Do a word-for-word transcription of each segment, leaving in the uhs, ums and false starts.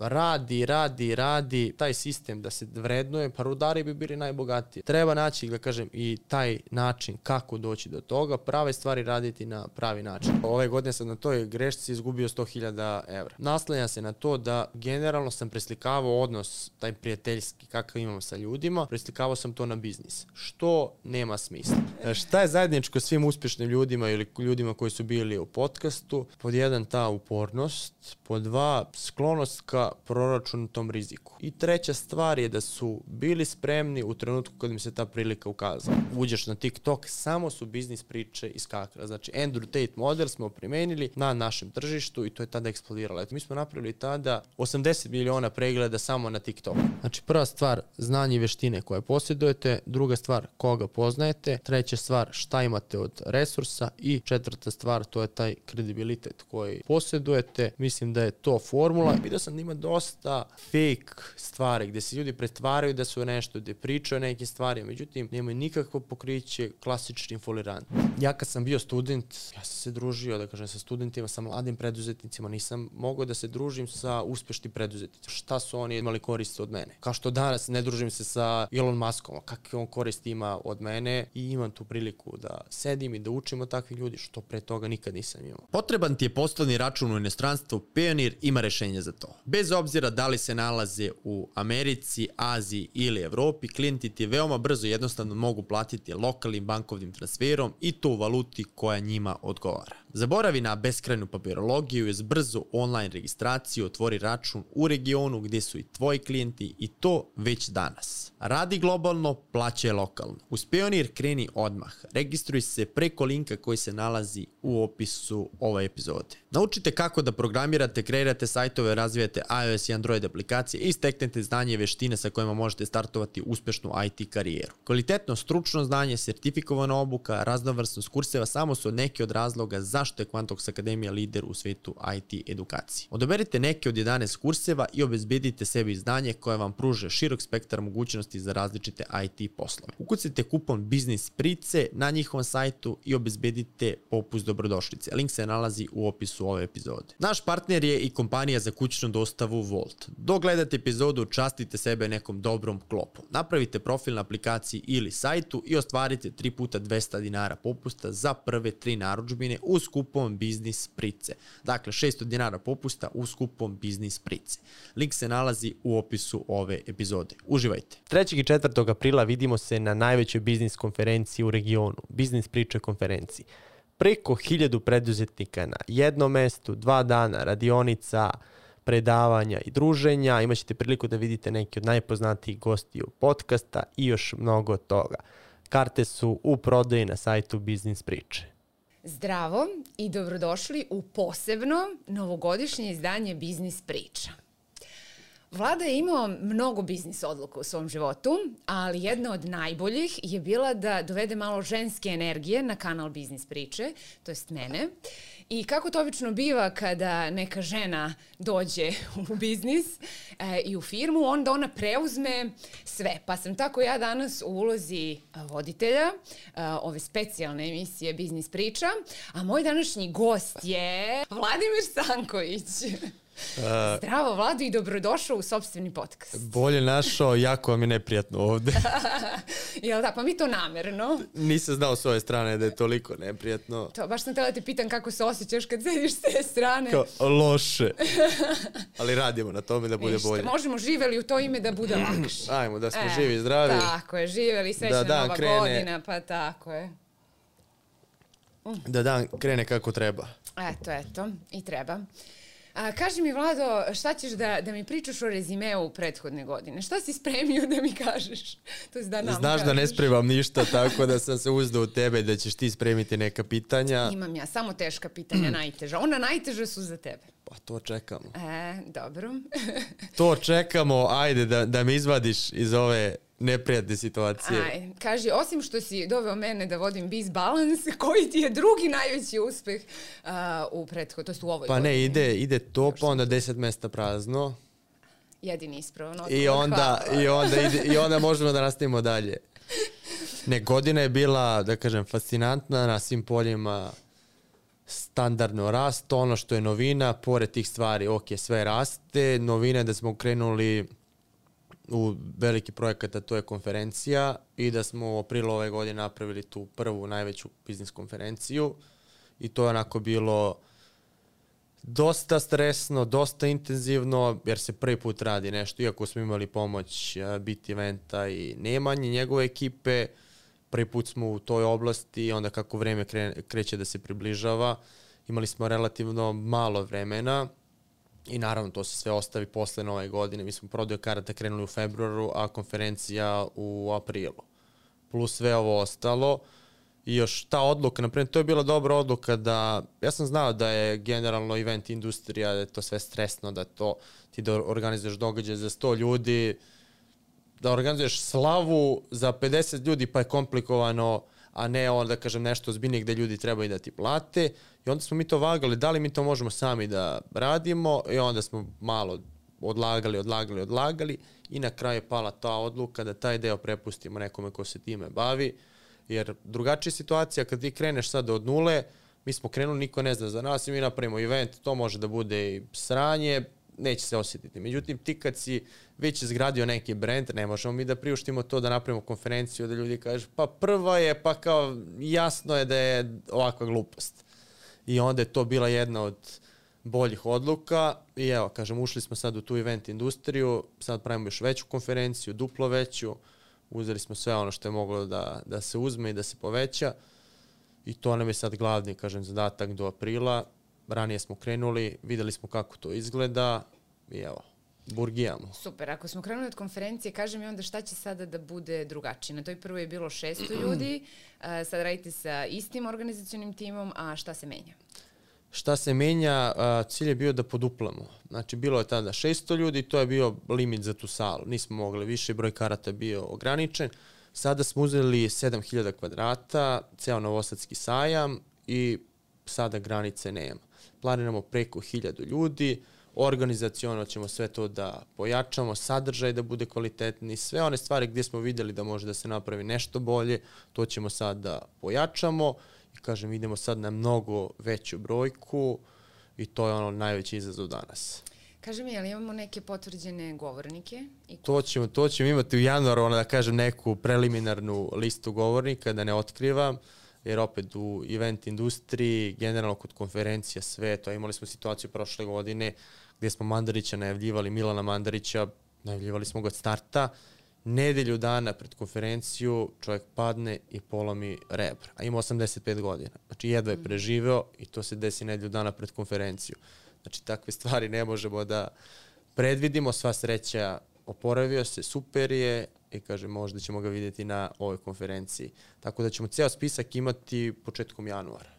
radi, radi, radi, taj sistem da se vrednuje, pa rudari bi bili najbogatiji. Treba naći, da kažem, i taj način kako doći do toga, prave stvari raditi na pravi način. Ove godine sam na toj grešci izgubio sto hiljada evra. Naslanja se na to da generalno sam preslikavao odnos, taj prijateljski, kakav imam sa ljudima, preslikavao sam to na biznis, što nema smisla. Šta je zajedničko svim uspješnim ljudima ili ljudima koji su bili u podcastu? Pod jedan, ta upornost, pod dva, sklonost ka proračunatom riziku. I treća stvar je da su bili spremni u trenutku kad im se ta prilika ukazala. Uđeš na TikTok, samo su biznis priče iskakale. Znači, Andrew Tate model smo primenili na našem tržištu i to je tada eksplodiralo. Eto, mi smo napravili tada osamdeset miliona pregleda samo na TikTok. Znači, prva stvar, znanje i veštine koje posjedujete, druga stvar, koga poznajete, treća stvar, šta imate od resursa i četvrta stvar, to je taj kredibilitet koji posjedujete. Mislim da je to formula. Vidio sam da ima dosta fake stvari gdje se ljudi pretvaraju da su nešto, gdje pričaju o nekim stvarima, međutim, nemaju nikakvo pokriće klasični folirant. Ja kad sam bio student, ja sam se družio, da kažem, sa studentima, sa mladim preduzetnicima, nisam mogao da se družim sa uspješnim preduzetnicima. Šta su oni imali koristi od mene? Kao što danas ne družim se sa Elon Muskom, kakve on koristi ima od mene i imam tu priliku da sedim i da učim od takvih ljudi, što pre toga nikad nisam imao. Potreban ti je poslovni račun u inostranstvu, Payoneer ima rešenje za to. Bez obzira da li se nalaze u Americi, Aziji ili Evropi, klijenti ti veoma brzo i jednostavno mogu platiti lokalnim bankovnim transferom i to u valuti koja njima odgovara. Zaboravi na beskrajnu papirologiju i uz brzu online registraciju otvori račun u regionu gdje su i tvoji klijenti i to već danas. Radi globalno, plaćaj lokalno. Uz Payoneer kreni odmah. Registruj se preko linka koji se nalazi u opisu ove epizode. Naučite kako da programirate, kreirate sajtove, razvijate iOS i Android aplikacije i steknete znanje i veštine sa kojima možete startovati uspešnu I T karijeru. Kvalitetno stručno znanje, sertifikovana obuka, raznovrsnost kurseva samo su neki od razloga zašto je Quantox Akademija lider u svetu I T edukacije. Odaberite neke od jedanaest kurseva i obezbedite sebi znanje koje vam pruže širok spektar mogućnosti za različite I T poslove. Ukucite kupon Biznis Price na njihovom sajtu i obezbedite popust dobrodošlice. Link se nalazi u opisu ove epizode. Naš partner je i kompanija za kućnu dostavu Volt. Dok gledate epizodu, častite sebe nekom dobrom klopom. Napravite profil na aplikaciji ili sajtu i ostvarite tri puta dvesta dinara popusta za prve tri narudžbine uz kupon Biznis Price. Dakle, šesto dinara popusta uz kupon Biznis Price. Link se nalazi u opisu ove epizode. Uživajte. trećeg i četvrtog aprila vidimo se na najvećoj biznis konferenciji u regionu, Biznis Priče konferenciji. Preko hiljadu preduzetnika na jednom mestu, dva dana radionica, predavanja i druženja. Imaćete priliku da vidite neki od najpoznatijih gostiju podcasta i još mnogo toga. Karte su u prodaji na sajtu Biznis Priče. Zdravo i dobrodošli u posebno novogodišnje izdanje Biznis Priča. Vlada je imao mnogo biznis odluka u svom životu, ali jedna od najboljih je bila da dovede malo ženske energije na kanal Biznis Priče, to jest mene. I kako to obično biva kada neka žena dođe u biznis e, i u firmu, onda ona preuzme sve. Pa sam tako ja danas u ulozi voditelja e, ove specijalne emisije Biznis Priča, a moj današnji gost je Vladimir Stanković. Uh, Zdravo, Vlado, i dobrodošao u sopstveni podcast. Bolje našao, jako vam je neprijatno ovde. Jel da, pa mi to namerno. Nisam znao s ove strane da je toliko neprijatno. To, baš sam tela te pitam kako se osjećaš kad sediš s te strane. Kao, loše. Ali radimo na tome da bude Ništa, bolje. Možemo živeli u to ime da bude lakše. Ajmo, da smo e, živi i zdravi. Tako je, živeli, srećna da nova krene, godina, pa tako je. Mm. Da dan krene kako treba. Eto, eto, i treba. A, kaži mi, Vlado, šta ćeš da, da mi pričaš o rezimeu prethodne godine? Šta si spremio da mi kažeš? To je da nam Znaš kažeš. Da ne spremam ništa, tako da sam se uzdao u tebe da ćeš ti spremiti neka pitanja. Imam ja, samo teška pitanja, najteža. Ona najteža su za tebe. Pa to čekamo. E, dobro. To čekamo, ajde da, da me izvadiš iz ove neprijatne situacije. Aj, kaži, osim što si doveo mene da vodim Biz Balance, koji ti je drugi najveći uspeh uh, u prethodnoj, to jest u ovoj Pa godini? ne, ide, ide to, pa onda deset mesta prazno. Jedini ispravno. I onda, i, onda ide, I onda možemo da nastavimo dalje. Ne, godina je bila, da kažem, fascinantna na svim poljima. standardno rast. Ono što je novina, pored tih stvari, ok, sve raste. Novina je da smo krenuli u veliki projekat, a to je konferencija, i da smo u aprilu ove godine napravili tu prvu najveću biznis konferenciju, i to je onako bilo dosta stresno, dosta intenzivno, jer se prvi put radi nešto, iako smo imali pomoć Bit Eventa i Nemanje, njegove ekipe, prvi put smo u toj oblasti i onda kako vreme kre, kreće da se približava, imali smo relativno malo vremena i naravno to se sve ostavi posle nove godine. Mi smo prodaju karata krenuli u februaru, a konferencija u aprilu. Plus sve ovo ostalo. I još ta odluka, naprimjer, to je bila dobra odluka da, ja sam znao da je generalno event industrija, da je to sve stresno, da to ti da organizuješ događaj za sto ljudi, da organizuješ slavu za pedeset ljudi pa je komplikovano, a ne onda, kažem, nešto ozbiljnije gde ljudi trebaju da ti plate. I onda smo mi to vagali, da li mi to možemo sami da radimo, i onda smo malo odlagali, odlagali, odlagali i na kraju je pala ta odluka da taj deo prepustimo nekome ko se time bavi. Jer drugačija situacija kad ti kreneš sada od nule, mi smo krenuli, niko ne zna za nas i mi napravimo event, to može da bude i sranje, neće se osjetiti. Međutim, ti kad si već izgradio neki brand, ne možemo mi da priuštimo to da napravimo konferenciju, da ljudi kažu pa prva je, pa kao jasno je da je ovakva glupost. I onda je to bila jedna od boljih odluka i evo, kažem, ušli smo sad u tu event industriju, sad pravimo još veću konferenciju, duplo veću, uzeli smo sve ono što je moglo da, da se uzme i da se poveća i to nam je sad glavni, kažem, zadatak do aprila. Ranije smo krenuli, videli smo kako to izgleda i evo, burgijamo. Super, ako smo krenuli od konferencije, kaži mi onda šta će sada da bude drugačije. Na toj prvoj je bilo šesto ljudi, sad radite sa istim organizacionim timom, a šta se menja? Šta se menja, cilj je bio da poduplamo. Znači, bilo je tada šesto ljudi, to je bio limit za tu salu. Nismo mogli više, broj karata bio ograničen. Sada smo uzeli sedam hiljada kvadrata, ceo Novosadski sajam i sada granice nema. Planiramo preko hiljadu ljudi, organizaciono ćemo sve to da pojačamo, sadržaj da bude kvalitetni, sve one stvari gdje smo vidjeli da može da se napravi nešto bolje, to ćemo sad da pojačamo. I kažem, idemo sad na mnogo veću brojku i to je ono najveći izazov danas. Kaži mi, ali imamo neke potvrđene govornike? I to, ćemo, to ćemo imati u januaru, ono da kažem, neku preliminarnu listu govornika, da ne otkrivam, jer opet u event industriji, generalno kod konferencija, sve to, imali smo situaciju prošle godine gdje smo Mandarića najavljivali, Milana Mandarića, najavljivali smo ga od starta, nedelju dana pred konferenciju čovjek padne i polomi rebra, a ima osamdeset pet godina. Znači jedva je preživeo i to se desi nedelju dana pred konferenciju. Znači takve stvari ne možemo da predvidimo, sva sreća oporavio se, super je i kaže možda ćemo ga vidjeti na ovoj konferenciji. Tako da ćemo ceo spisak imati početkom januara.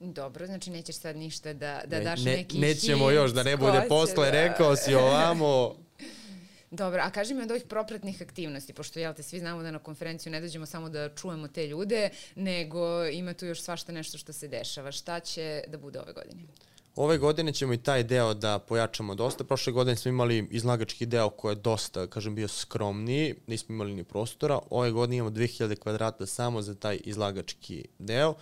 Dobro, znači nećeš sad ništa da, da daš ne, neki nećemo još, da ne bude posle, da... rekao si ovamo. Dobro, a kaži mi od ovih propratnih aktivnosti, pošto jel te svi znamo da na konferenciju ne dođemo samo da čujemo te ljude, nego ima tu još svašta nešto što se dešava. Šta će da bude ove godine? Ove godine ćemo i taj deo da pojačamo dosta. Prošle godine smo imali izlagački deo koji je dosta, kažem, bio skromniji, nismo imali ni prostora. Ove godine imamo dve hiljade kvadrata samo za taj izlagački deo,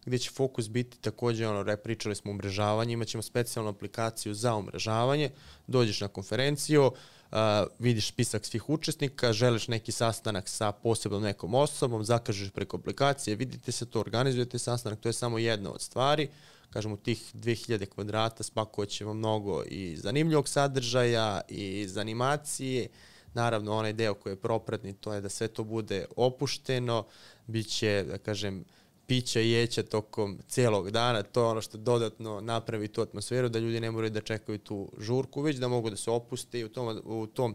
gdje će fokus biti također, ono, pričali smo o umrežavanju, imat ćemo specijalnu aplikaciju za umrežavanje, dođeš na konferenciju, Uh, vidiš spisak svih učesnika, želiš neki sastanak sa posebnom nekom osobom, zakažeš preko aplikacije, vidite se to, organizujete sastanak, to je samo jedna od stvari. Kažem, u tih dve hiljade kvadrata spakovat ćemo mnogo i zanimljivog sadržaja i iz animacije. Naravno, onaj deo koji je propratni, to je da sve to bude opušteno, bit će, da kažem, pića i jeća tokom cijelog dana, to je ono što dodatno napravi tu atmosferu, da ljudi ne moraju da čekaju tu žurku, već da mogu da se opuste i u tom, u tom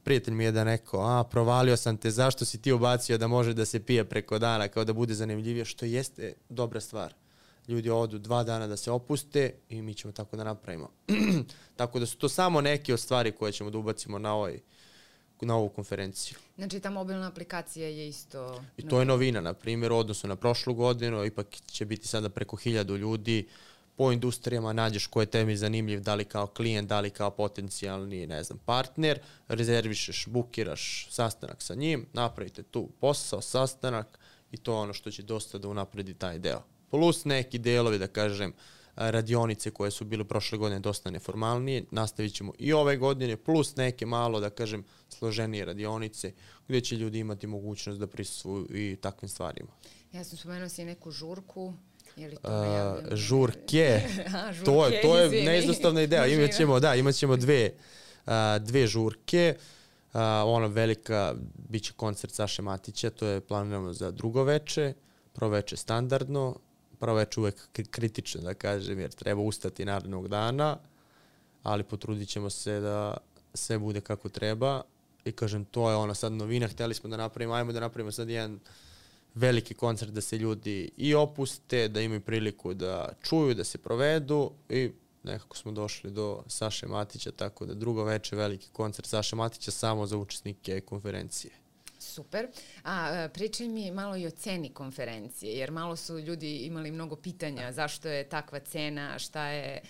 prijatelj mi je da neko, a provalio sam te, zašto si ti ubacio da može da se pije preko dana, kao da bude zanimljivije, što jeste dobra stvar. Ljudi odu dva dana da se opuste i mi ćemo tako da napravimo. Tako da su to samo neke od stvari koje ćemo da ubacimo na ovaj na ovu konferenciju. Znači ta mobilna aplikacija je isto... I to je novina, na primjer, u odnosu na prošlu godinu, ipak će biti sada preko hiljadu ljudi, po industrijama nađeš ko je tebi zanimljiv, da li kao klijent, da li kao potencijalni, ne znam, partner, rezervišeš, bukiraš sastanak sa njim, napravite tu posao, sastanak i to je ono što će dosta da unapredi taj deo. plus neki delovi, da kažem, radionice koje su bile prošle godine dosta neformalnije, nastavit ćemo i ove godine, plus neke malo, da kažem, složenije radionice, gdje će ljudi imati mogućnost da prisustvuju i takvim stvarima. Ja sam spomenuo si neku žurku. Je li to uh, žurke, A, žurke, to je, to je izvini. neizostavna ideja. Imat ćemo, da, imat ćemo dve, uh, dve žurke. Uh, ona velika, bit će koncert Saše Matića, to je planirano za drugo veče, prvo veče standardno, prvo veče uvek kritično, da kažem, jer treba ustati narednog dana, ali potrudit ćemo se da sve bude kako treba. I kažem, to je ono sad novina, hteli smo da napravimo, ajmo da napravimo sad jedan veliki koncert da se ljudi i opuste, da imaju priliku da čuju, da se provedu i nekako smo došli do Saše Matića, tako da drugo veče veliki koncert Saše Matića samo za učesnike konferencije. Super. A pričaj mi malo i o ceni konferencije, jer malo su ljudi imali mnogo pitanja zašto je takva cena, šta je,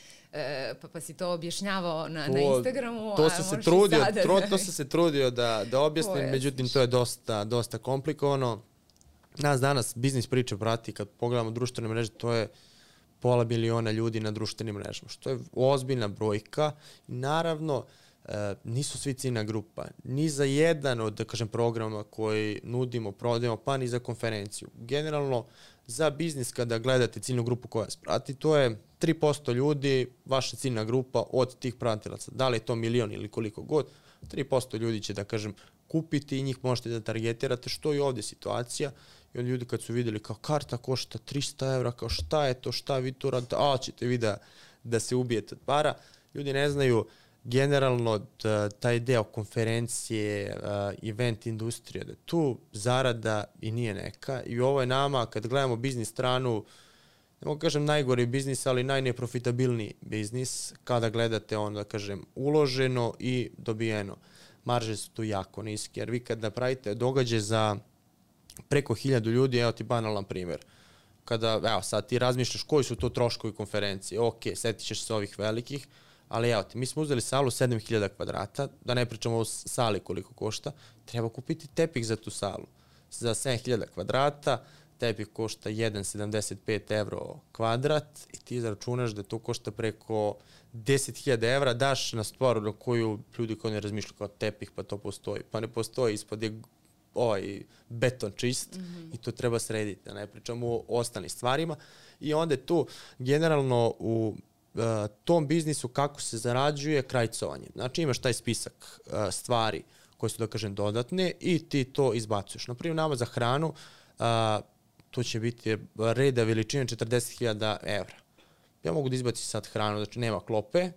pa, pa si to objašnjavao na, to, na Instagramu. To sam se trudio, sada, tro, da... to sam se trudio da, da objasnim, međutim to je dosta, dosta komplikovano. Nas danas biznis priča prati, kad pogledamo društvene mreže, to je pola miliona ljudi na društvenim mrežama, što je ozbiljna brojka. I naravno, e, nisu svi ciljna grupa. Ni za jedan od, da kažem, programa koji nudimo, prodajemo, pa ni za konferenciju. Generalno, za biznis kada gledate ciljnu grupu koja vas prati, to je tri posto ljudi, vaša ciljna grupa od tih pratilaca. Da li je to milion ili koliko god, tri posto ljudi će, da kažem, kupiti i njih možete da targetirate, što je ovdje situacija. I onda ljudi kad su vidjeli kao karta košta trista evra, kao šta je to, šta vi to radite, a ćete vi da, da se ubijete od para. Ljudi ne znaju generalno da, taj deo konferencije, uh, event industrije, da tu zarada i nije neka. I ovo je nama, kad gledamo biznis stranu, ne mogu kažem najgori biznis, ali najneprofitabilniji biznis, kada gledate ono, da kažem, uloženo i dobijeno. Marže su tu jako niske, jer vi kad napravite događaj za preko hiljadu ljudi, evo ti banalan primjer. Kada, evo sad ti razmišljaš koji su to troškovi konferencije, ok, setit ćeš se ovih velikih, ali evo ti, mi smo uzeli salu sedam hiljada kvadrata, da ne pričamo o sali koliko košta, treba kupiti tepih za tu salu. Za sedam hiljada kvadrata, tepih košta jedan zarez sedamdeset pet evro kvadrat i ti izračunaš da to košta preko deset hiljada evra, daš na stvar na koju ljudi koji ne razmišljaju kao tepih, pa to postoji. Pa ne postoji, ispod je ovaj beton čist mm-hmm. i to treba srediti, da ne pričamo o ostalim stvarima. I onda je tu generalno u uh, tom biznisu kako se zarađuje krajcovanje. Znači imaš taj spisak uh, stvari koje su, da kažem, dodatne i ti to izbacuješ. Naprimjer, nama za hranu uh, to će biti reda veličine četrdeset hiljada evra. Ja mogu da izbacim sad hranu, znači nema klope,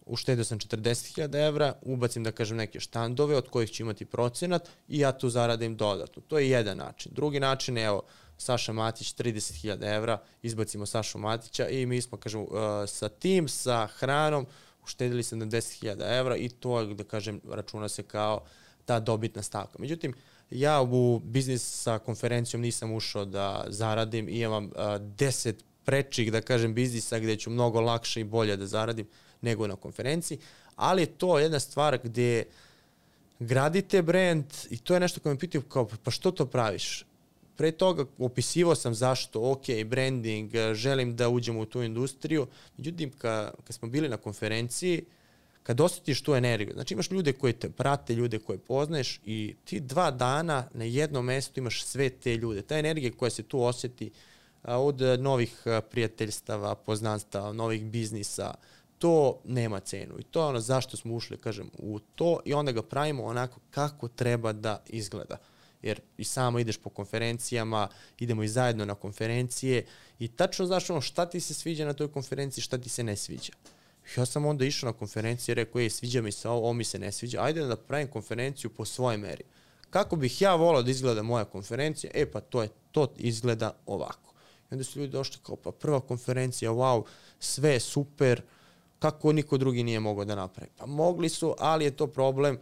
uštedio sam četrdeset hiljada evra, ubacim, da kažem, neke štandove od kojih ću imati procenat i ja tu zaradim dodatno. To je jedan način. Drugi način je, evo, Saša Matić, trideset hiljada evra, izbacimo Sašu Matića i mi smo, kažem, uh, sa tim, sa hranom, uštedili sedamdeset hiljada evra i to, da kažem, računa se kao ta dobitna stavka. Međutim, ja u biznis sa konferencijom nisam ušao da zaradim i imam uh, deset prečih, da kažem, biznisa gdje ću mnogo lakše i bolje da zaradim nego na konferenciji, ali je to jedna stvar gdje gradite brand i to je nešto koje me pitaju kao, pa što to praviš? Pre toga opisivao sam zašto, ok, branding, želim da uđem u tu industriju, međutim, kad, kad smo bili na konferenciji, kad osjetiš tu energiju, znači imaš ljude koji te prate, ljude koje poznaješ i ti dva dana na jednom mjestu imaš sve te ljude. Ta energija koja se tu osjeti od novih prijateljstava, poznanstava, novih biznisa, to nema cenu. I to je ono zašto smo ušli, kažem, u to i onda ga pravimo onako kako treba da izgleda. Jer i samo ideš po konferencijama, idemo i zajedno na konferencije i tačno znaš ono šta ti se sviđa na toj konferenciji, šta ti se ne sviđa. Ja sam onda išao na konferenciju i rekao, ej, sviđa mi se ovo, ovo mi se ne sviđa, ajde da pravim konferenciju po svojoj meri. Kako bih ja volao da izgleda moja konferencija? E pa to je, to izgleda ovako. I onda su ljudi došli kao, pa prva konferencija, wow, sve je super, kako niko drugi nije mogao da napravi. Pa mogli su, ali je to problem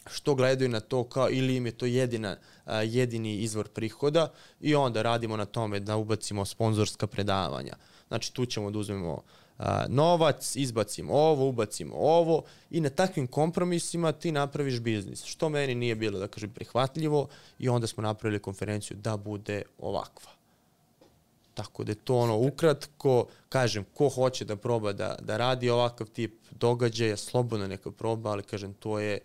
što gledaju na to kao ili im je to jedina, uh, jedini izvor prihoda i onda radimo na tome da ubacimo sponzorska predavanja. Znači tu ćemo da uzmemo uh, novac, izbacimo ovo, ubacimo ovo i na takvim kompromisima ti napraviš biznis. Što meni nije bilo, da kažem, prihvatljivo i onda smo napravili konferenciju da bude ovakva. Tako da je to ono ukratko, kažem, ko hoće da proba da, da radi ovakav tip događaja, slobodno neka proba, ali kažem, to je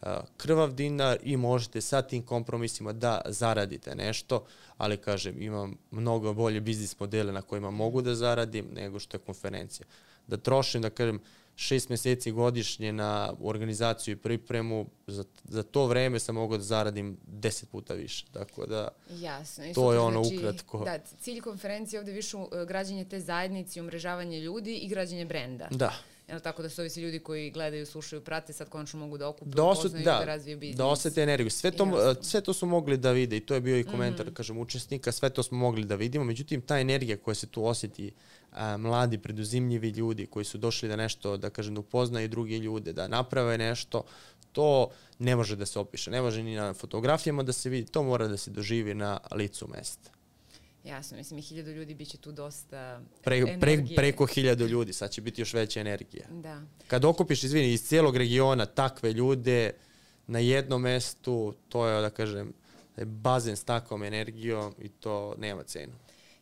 uh, krvav dinar i možete sa tim kompromisima da zaradite nešto, ali kažem, imam mnogo bolje biznis modele na kojima mogu da zaradim nego što je konferencija. Da trošim, da kažem, šest meseci godišnje na organizaciju i pripremu, za, za to vreme sam mogao da zaradim deset puta više. Tako da, jasno. I to super, je ono znači, ukratko. Da, cilj konferencije je ovde više uh, građenje te zajednice, umrežavanje ljudi i građenje brenda. Da. Jel tako da su ovi svi ljudi koji gledaju, slušaju, prate, sad konačno mogu da okupe, da osjeti, upoznaju da, da razviju biznis. Da osjeti energiju. Sve to, jasno. sve to su mogli da vide i to je bio i komentar, mm. kažem, učesnika, sve to smo mogli da vidimo, međutim, ta energija koja se tu osjeti, a, mladi, preduzimljivi ljudi koji su došli da nešto, da kažem, da upoznaju druge ljude, da naprave nešto, to ne može da se opiše, ne može ni na fotografijama da se vidi, to mora da se doživi na licu mesta. Jasno, mislim, i hiljadu ljudi bit će tu dosta Pre, energije. pre, preko hiljadu ljudi, sad će biti još veća energija. Da. Kad okupiš, izvini, iz cijelog regiona takve ljude na jednom mestu, to je, da kažem, bazen s takvom energijom i to nema cenu.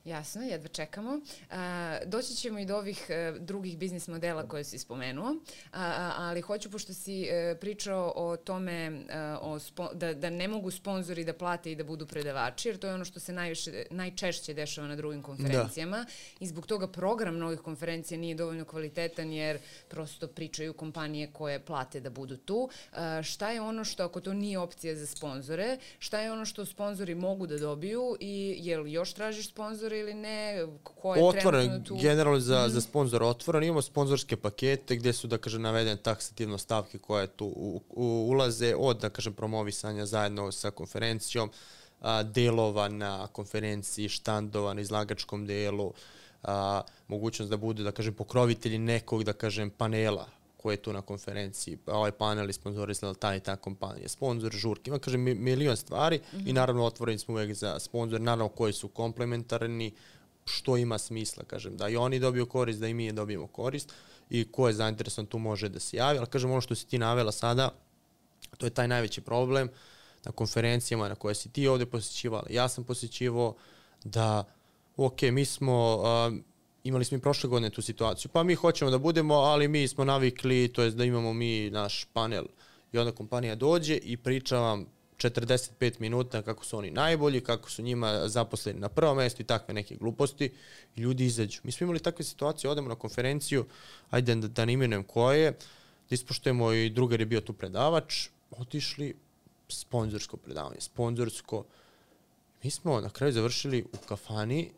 Jasno, jedva čekamo. A, doći ćemo i do ovih a, drugih biznis modela koje si spomenuo, a, a, ali hoću, pošto si a, pričao o tome a, o spo, da, da ne mogu sponzori da plate i da budu predavači, jer to je ono što se najviše, najčešće dešava na drugim konferencijama da. I zbog toga program mnogih konferencija nije dovoljno kvalitetan jer prosto pričaju kompanije koje plate da budu tu. A, šta je ono što, ako to nije opcija za sponzore, šta je ono što sponzori mogu da dobiju i je li još tražiš sponzore ili ne, ko je otvoren, trenutno tu? Generalno za, mm. za sponzor otvoren. Imamo sponzorske pakete gdje su, da kažem, navedene taksativno stavke koje tu u, u, ulaze od, da kažem, promovisanja zajedno sa konferencijom, a, delova na konferenciji, štandova na izlagačkom delu, a, mogućnost da budu, da kažem, pokrovitelji nekog, da kažem, panela koji je tu na konferenciji, ovaj panel je sponzorisala ta i ta kompanija, sponzor, žurki, ima, kažem, milion stvari mm-hmm. i naravno otvoreni smo uvijek za sponzor, naravno koji su komplementarni, što ima smisla, kažem, da i oni dobiju korist, da i mi dobijemo korist i ko je zainteresovan tu može da se javi, ali kažem, ono što si ti navela sada, to je taj najveći problem na konferencijama na koje si ti ovdje posjećivala, ja sam posjećivao da, ok, mi smo... Uh, imali smo i prošle godine tu situaciju, pa mi hoćemo da budemo, ali mi smo navikli, to jest da imamo mi naš panel i onda kompanija dođe i priča vam četrdeset pet minuta kako su oni najbolji, kako su njima zaposleni na prvom mjestu i takve neke gluposti i ljudi izađu. Mi smo imali takve situacije, odemo na konferenciju, ajde da, da ne imenujem koje, da ispoštujemo i drugar je bio tu predavač, otišli sponzorsko predavanje, sponzorsko. Mi smo na kraju završili u kafani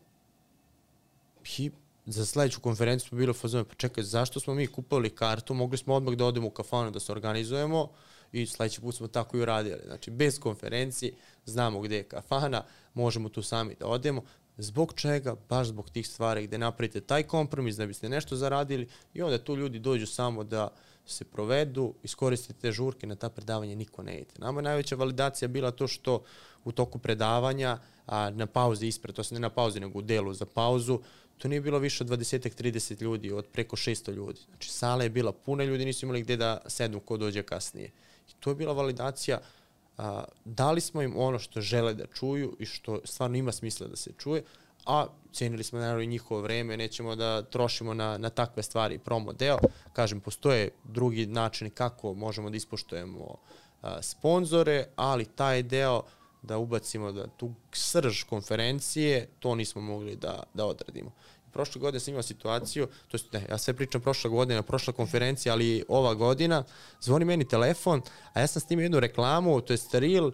i za sljedeću konferenciju smo bili u fazonu, pa čekaj, zašto smo mi kupovali kartu, mogli smo odmah da odemo u kafanu da se organizujemo i sljedeći put smo tako i uradili. Znači, bez konferencije, znamo gdje je kafana, možemo tu sami da odemo. Zbog čega? Baš zbog tih stvari gdje napravite taj kompromis da biste nešto zaradili i onda tu ljudi dođu samo da se provedu, iskoristite te žurke, na ta predavanja niko ne ide. Nama je najveća validacija bila to što u toku predavanja, a na pauzi ispred, to se ne na pauzi nego u delu za pauzu, to nije bilo više od dvadeset trideset ljudi, od preko šesto ljudi. Znači, sala je bila puna, ljudi nisu imali gdje da sednu ko dođe kasnije. I to je bila validacija. A, dali smo im ono što žele da čuju i što stvarno ima smisla da se čuje, a cijenili smo naravno i njihovo vreme, nećemo da trošimo na, na takve stvari promo deo. Kažem, postoje drugi načini kako možemo da ispoštujemo a, sponzore, ali taj deo da ubacimo da tu srž konferencije, to nismo mogli da, da odradimo. Prošle godine sam imao situaciju, to jest, ne, ja sve pričam prošla godina, prošla konferencija, ali ova godina, zvoni meni telefon, a ja sam s tim jednu reklamu, to je reel,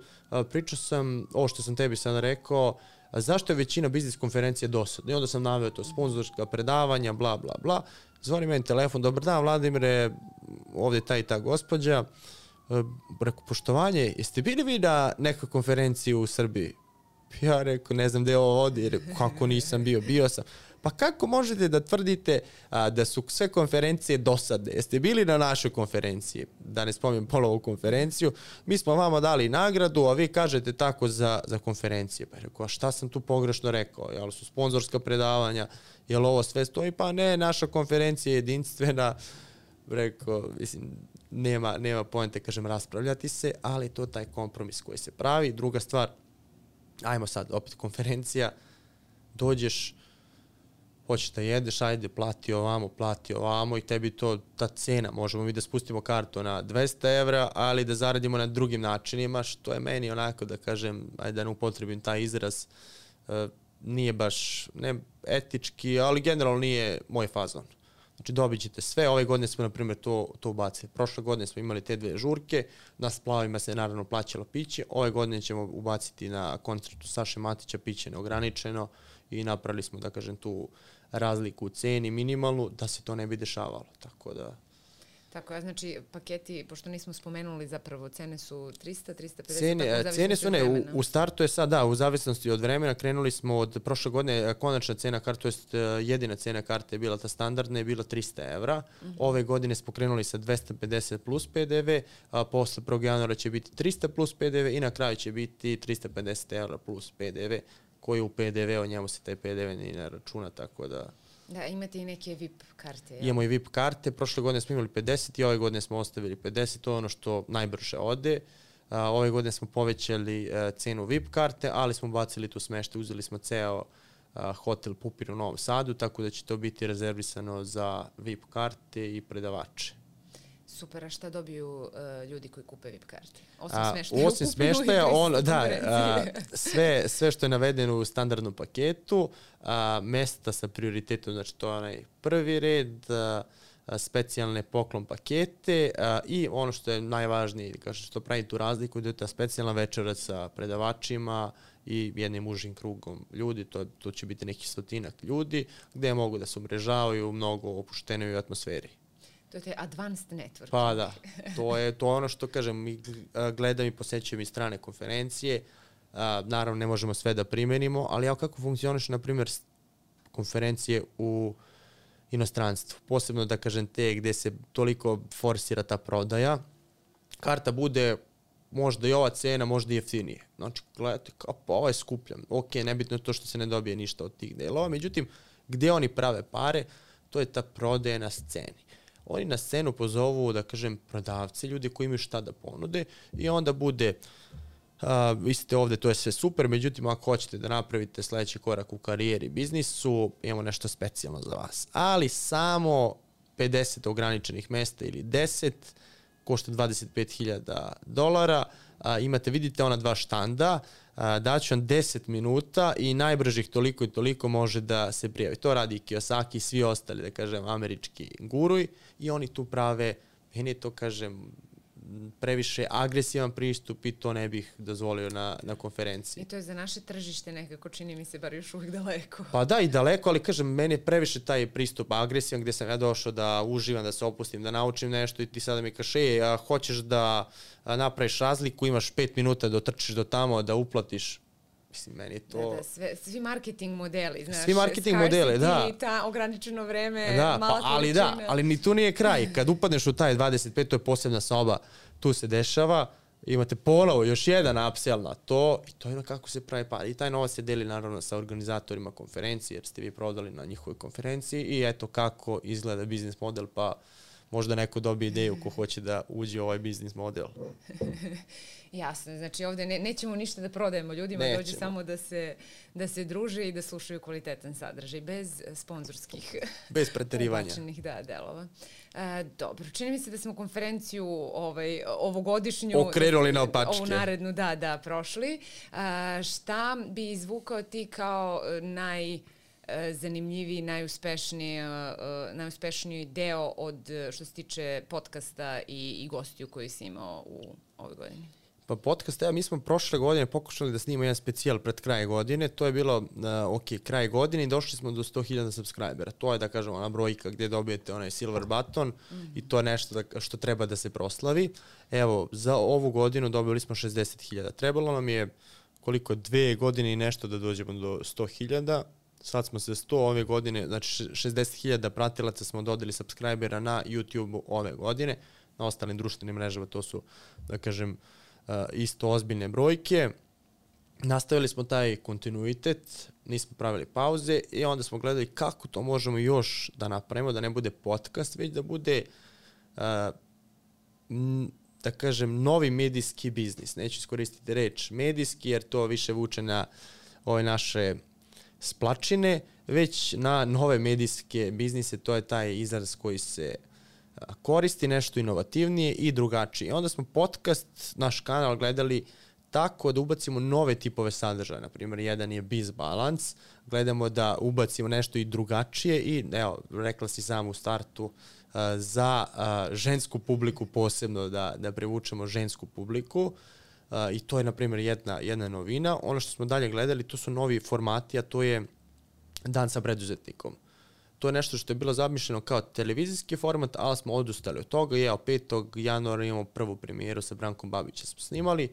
pričao sam, ovo što sam tebi sad rekao, zašto je većina biznis konferencije dosadna. I onda sam naveo to sponzorska predavanja, bla, bla, bla. Zvoni meni telefon, dobar dan, Vladimire, ovdje ta i ta gospođa. Rekao, poštovanje, jeste bili vi na nekoj konferenciji u Srbiji? Ja rekao, ne znam gdje ovo vodi, rekao, kako nisam bio, bio sam. Pa kako možete da tvrdite a, da su sve konferencije dosadne? Jeste bili na našoj konferenciji? Da ne spominjem polovu konferenciju. Mi smo vama dali nagradu, a vi kažete tako za, za konferencije. Pa rekao, a šta sam tu pogrešno rekao? Jel su sponzorska predavanja? Jel ovo sve stoji? Pa ne, naša konferencija je jedinstvena. Rekao, mislim, nema, nema poente, kažem, raspravljati se, ali to taj kompromis koji se pravi. Druga stvar, ajmo sad, opet konferencija, dođeš, hoćeš da jedeš, ajde, plati ovamo, plati ovamo i tebi to, ta cena, možemo mi da spustimo kartu na dvesta evra, ali da zaradimo na drugim načinima, što je meni onako, da kažem, ajde da ne upotrebim taj izraz, uh, nije baš, ne etički, ali generalno nije moj fazon. Znači dobit ćete sve, ove godine smo na primjer to, to ubacili. Prošle godine smo imali te dve žurke, na splavima se naravno plaćalo piće, ove godine ćemo ubaciti na koncertu Saše Matića piće neograničeno i napravili smo, da kažem, tu razliku u ceni minimalnu, da se to ne bi dešavalo, tako da... Tako je, znači paketi, pošto nismo spomenuli zapravo, cene su trista, trista pedeset, cene, tako, cene su ne, u, u startu je sad, da, u zavisnosti od vremena, krenuli smo od prošle godine, konačna cena karte, to jest jedina cena karte je bila ta standardna, je bila trista evra, uh-huh. Ove godine smo krenuli sa dvesta pedeset plus P D V, a posle prvog januara će biti trista plus P D V i na kraju će biti trista pedeset evra plus P D V, koji u P D V, o njemu se taj P D V ni ne računa, tako da... Da, imate i neke V I P karte. Ja? Imamo i V I P karte, prošle godine smo imali pedeset i ove godine smo ostavili pedeset, to je ono što najbrže ode. Uh, ove godine smo povećali uh, cenu V I P karte, ali smo bacili tu smešte, uzeli smo ceo uh, hotel Pupin u Novom Sadu, tako da će to biti rezervisano za V I P karte i predavače. Super, a šta dobiju uh, ljudi koji kupe V I P karte? Osim smeštaja. Osim smeštaja, on, da, a, sve, sve što je navedeno u standardnom paketu, a, mesta sa prioritetom, znači to je onaj prvi red, a, a, specijalne poklon pakete a, i ono što je najvažnije, kaže, što pravi tu razliku, da je ta specijalna večera sa predavačima i jednim užim krugom ljudi, to, to će biti neki stotinak ljudi, gde mogu da se umrežavaju u mnogo opuštenoj atmosferi. To je taj advanced network. Pa da, to je to ono što kažem, mi gledam i posećujem i strane konferencije, a, naravno ne možemo sve da primenimo, ali ja kako funkcioniš, na primjer, konferencije u inostranstvu, posebno da kažem te gde se toliko forsira ta prodaja, karta bude možda i ova cena, možda i jeftinije. Znači, gledajte, kao pa ovo je skuplja, ok, nebitno je to što se ne dobije ništa od tih delova, međutim, gde oni prave pare, to je ta prodaja na sceni. Oni na scenu pozovu, da kažem, prodavci, ljudi koji imaju šta da ponude i onda bude, uh, vi ste ovde, to je sve super, međutim, ako hoćete da napravite sledeći korak u karijeri i biznisu, imamo nešto specijalno za vas. Ali samo pedeset ograničenih mesta ili deset, košta dvadeset pet hiljada dolara, a, imate, vidite ona dva štanda, a, daću vam deset minuta i najbržih toliko i toliko može da se prijavi. To radi Kiyosaki i svi ostali, da kažem, američki guruj i oni tu prave, meni je to, kažem, previše agresivan pristup i to ne bih dozvolio na, na konferenciji. I to je za naše tržište nekako, čini mi se, bar još uvijek daleko. Pa da, i daleko, ali kažem, meni je previše taj pristup agresivan gde sam ja došao da uživam, da se opustim, da naučim nešto i ti sada mi kažeš, ej, a hoćeš da a, napraviš razliku, imaš pet minuta da otrčiš do tamo, da uplatiš. Mislim, meni je to... Da, da, sve, svi marketing modeli, znaš. Svi marketing modeli, da. I ta ograničeno vreme, da, mala pa, ali količina. da, ali ni tu nije kraj. Kad upadneš u taj dvadeset pet, to je posebna soba, tu se dešava, imate ponovo još jedan upsell na to i to je kako se pravi par. I taj novac se deli naravno sa organizatorima konferencije, jer ste vi prodali na njihovoj konferenciji i eto kako izgleda biznis model, pa možda neko dobije ideju ko hoće da uđe u ovaj biznis model. Jasno, znači ovde ne, nećemo ništa da prodajemo ljudima, nećemo. Dođe samo da se, da se druže i da slušaju kvalitetan sadržaj, bez sponzorskih bez preterivanja. Ubačenih, da, delova. E, dobro, čini mi se da smo konferenciju ovaj, ovogodišnju okrenuli na opačke. Ovu narednu, da, da, prošli. E, šta bi izvukao ti kao naj zanimljiviji, najuspešniji, najuspešniji deo od što se tiče podcasta i, i gostiju koji si imao u ovoj godini? Pa podcast, ja, mi smo prošle godine pokušali da snimamo jedan specijal pred kraj godine, to je bilo, uh, ok, kraj godine i došli smo do sto hiljada subscribera. To je, da kažemo, ona brojka gdje dobijete onaj silver button mm-hmm. i to je nešto da, što treba da se proslavi. Evo, za ovu godinu dobili smo šezdeset hiljada. Trebalo nam je koliko, dve godine i nešto da dođemo do sto hiljada. Sad smo se sto ove godine, znači šezdeset hiljada pratilaca smo dodali subscribera na YouTube ove godine. Na ostalim društvenim mrežama to su, da kažem, isto ozbiljne brojke. Nastavili smo taj kontinuitet, nismo pravili pauze i onda smo gledali kako to možemo još da napravimo, da ne bude podcast, već da bude, da kažem, novi medijski biznis. Neću iskoristiti reč medijski jer to više vuče na ove naše splačine, već na nove medijske biznise, to je taj izraz koji se koristi, nešto inovativnije i drugačije. Onda smo podcast, naš kanal gledali tako da ubacimo nove tipove sadržaja. Naprimjer, jedan je Biz Balance, gledamo da ubacimo nešto i drugačije i, evo, rekla si sam u startu, uh, za uh, žensku publiku posebno, da, da privučemo žensku publiku. Uh, I to je, na primjer, jedna, jedna novina. Ono što smo dalje gledali, to su novi formati, a to je Dan sa preduzetnikom. To je nešto što je bilo zamišljeno kao televizijski format, ali smo odustali od toga. I evo, petog januara imamo prvu premijeru sa Brankom Babićem smo snimali,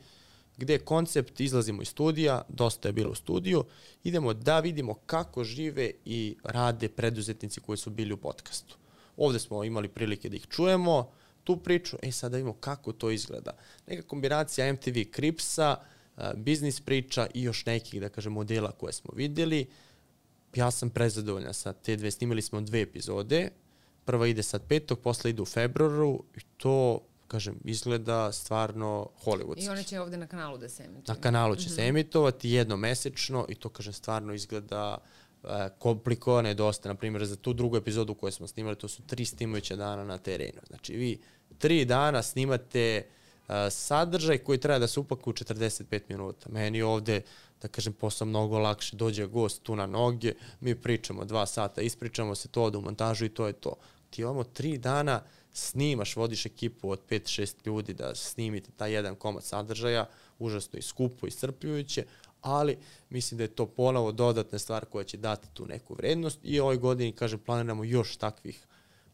gde je koncept, izlazimo iz studija, dosta je bilo u studiju, idemo da vidimo kako žive i rade preduzetnici koji su bili u podcastu. Ovde smo imali prilike da ih čujemo, tu priču, e sad da vidimo kako to izgleda. Neka kombinacija M T V Cripsa, biznis priča i još nekih, da kažem, modela koje smo videli. Ja sam prezadovoljan sa te dve, snimali smo dve epizode, prva ide sad petog, posle ide u februaru i to, kažem, izgleda stvarno hollywoodski. I one će ovde na kanalu da se emituju. Na kanalu će mm-hmm. se emitovati jednomesečno i to, kažem, stvarno izgleda uh, komplikovano je dosta. Naprimjer, za tu drugu epizodu koju smo snimali, to su tri snimajuća dana na terenu. Znači, vi tri dana snimate uh, sadržaj koji treba da se upakuje u četrdeset pet minuta. Meni ovde, da kažem, posao mnogo lakše, dođe gost tu na noge, mi pričamo dva sata, ispričamo se to, ode u montažu i to je to. Ti imamo tri dana snimaš, vodiš ekipu od pet šest ljudi da snimite taj jedan komad sadržaja, užasno i skupo i iscrpljujuće, ali mislim da je to ponovo dodatna stvar koja će dati tu neku vrednost i ovoj godini, kažem, planiramo još takvih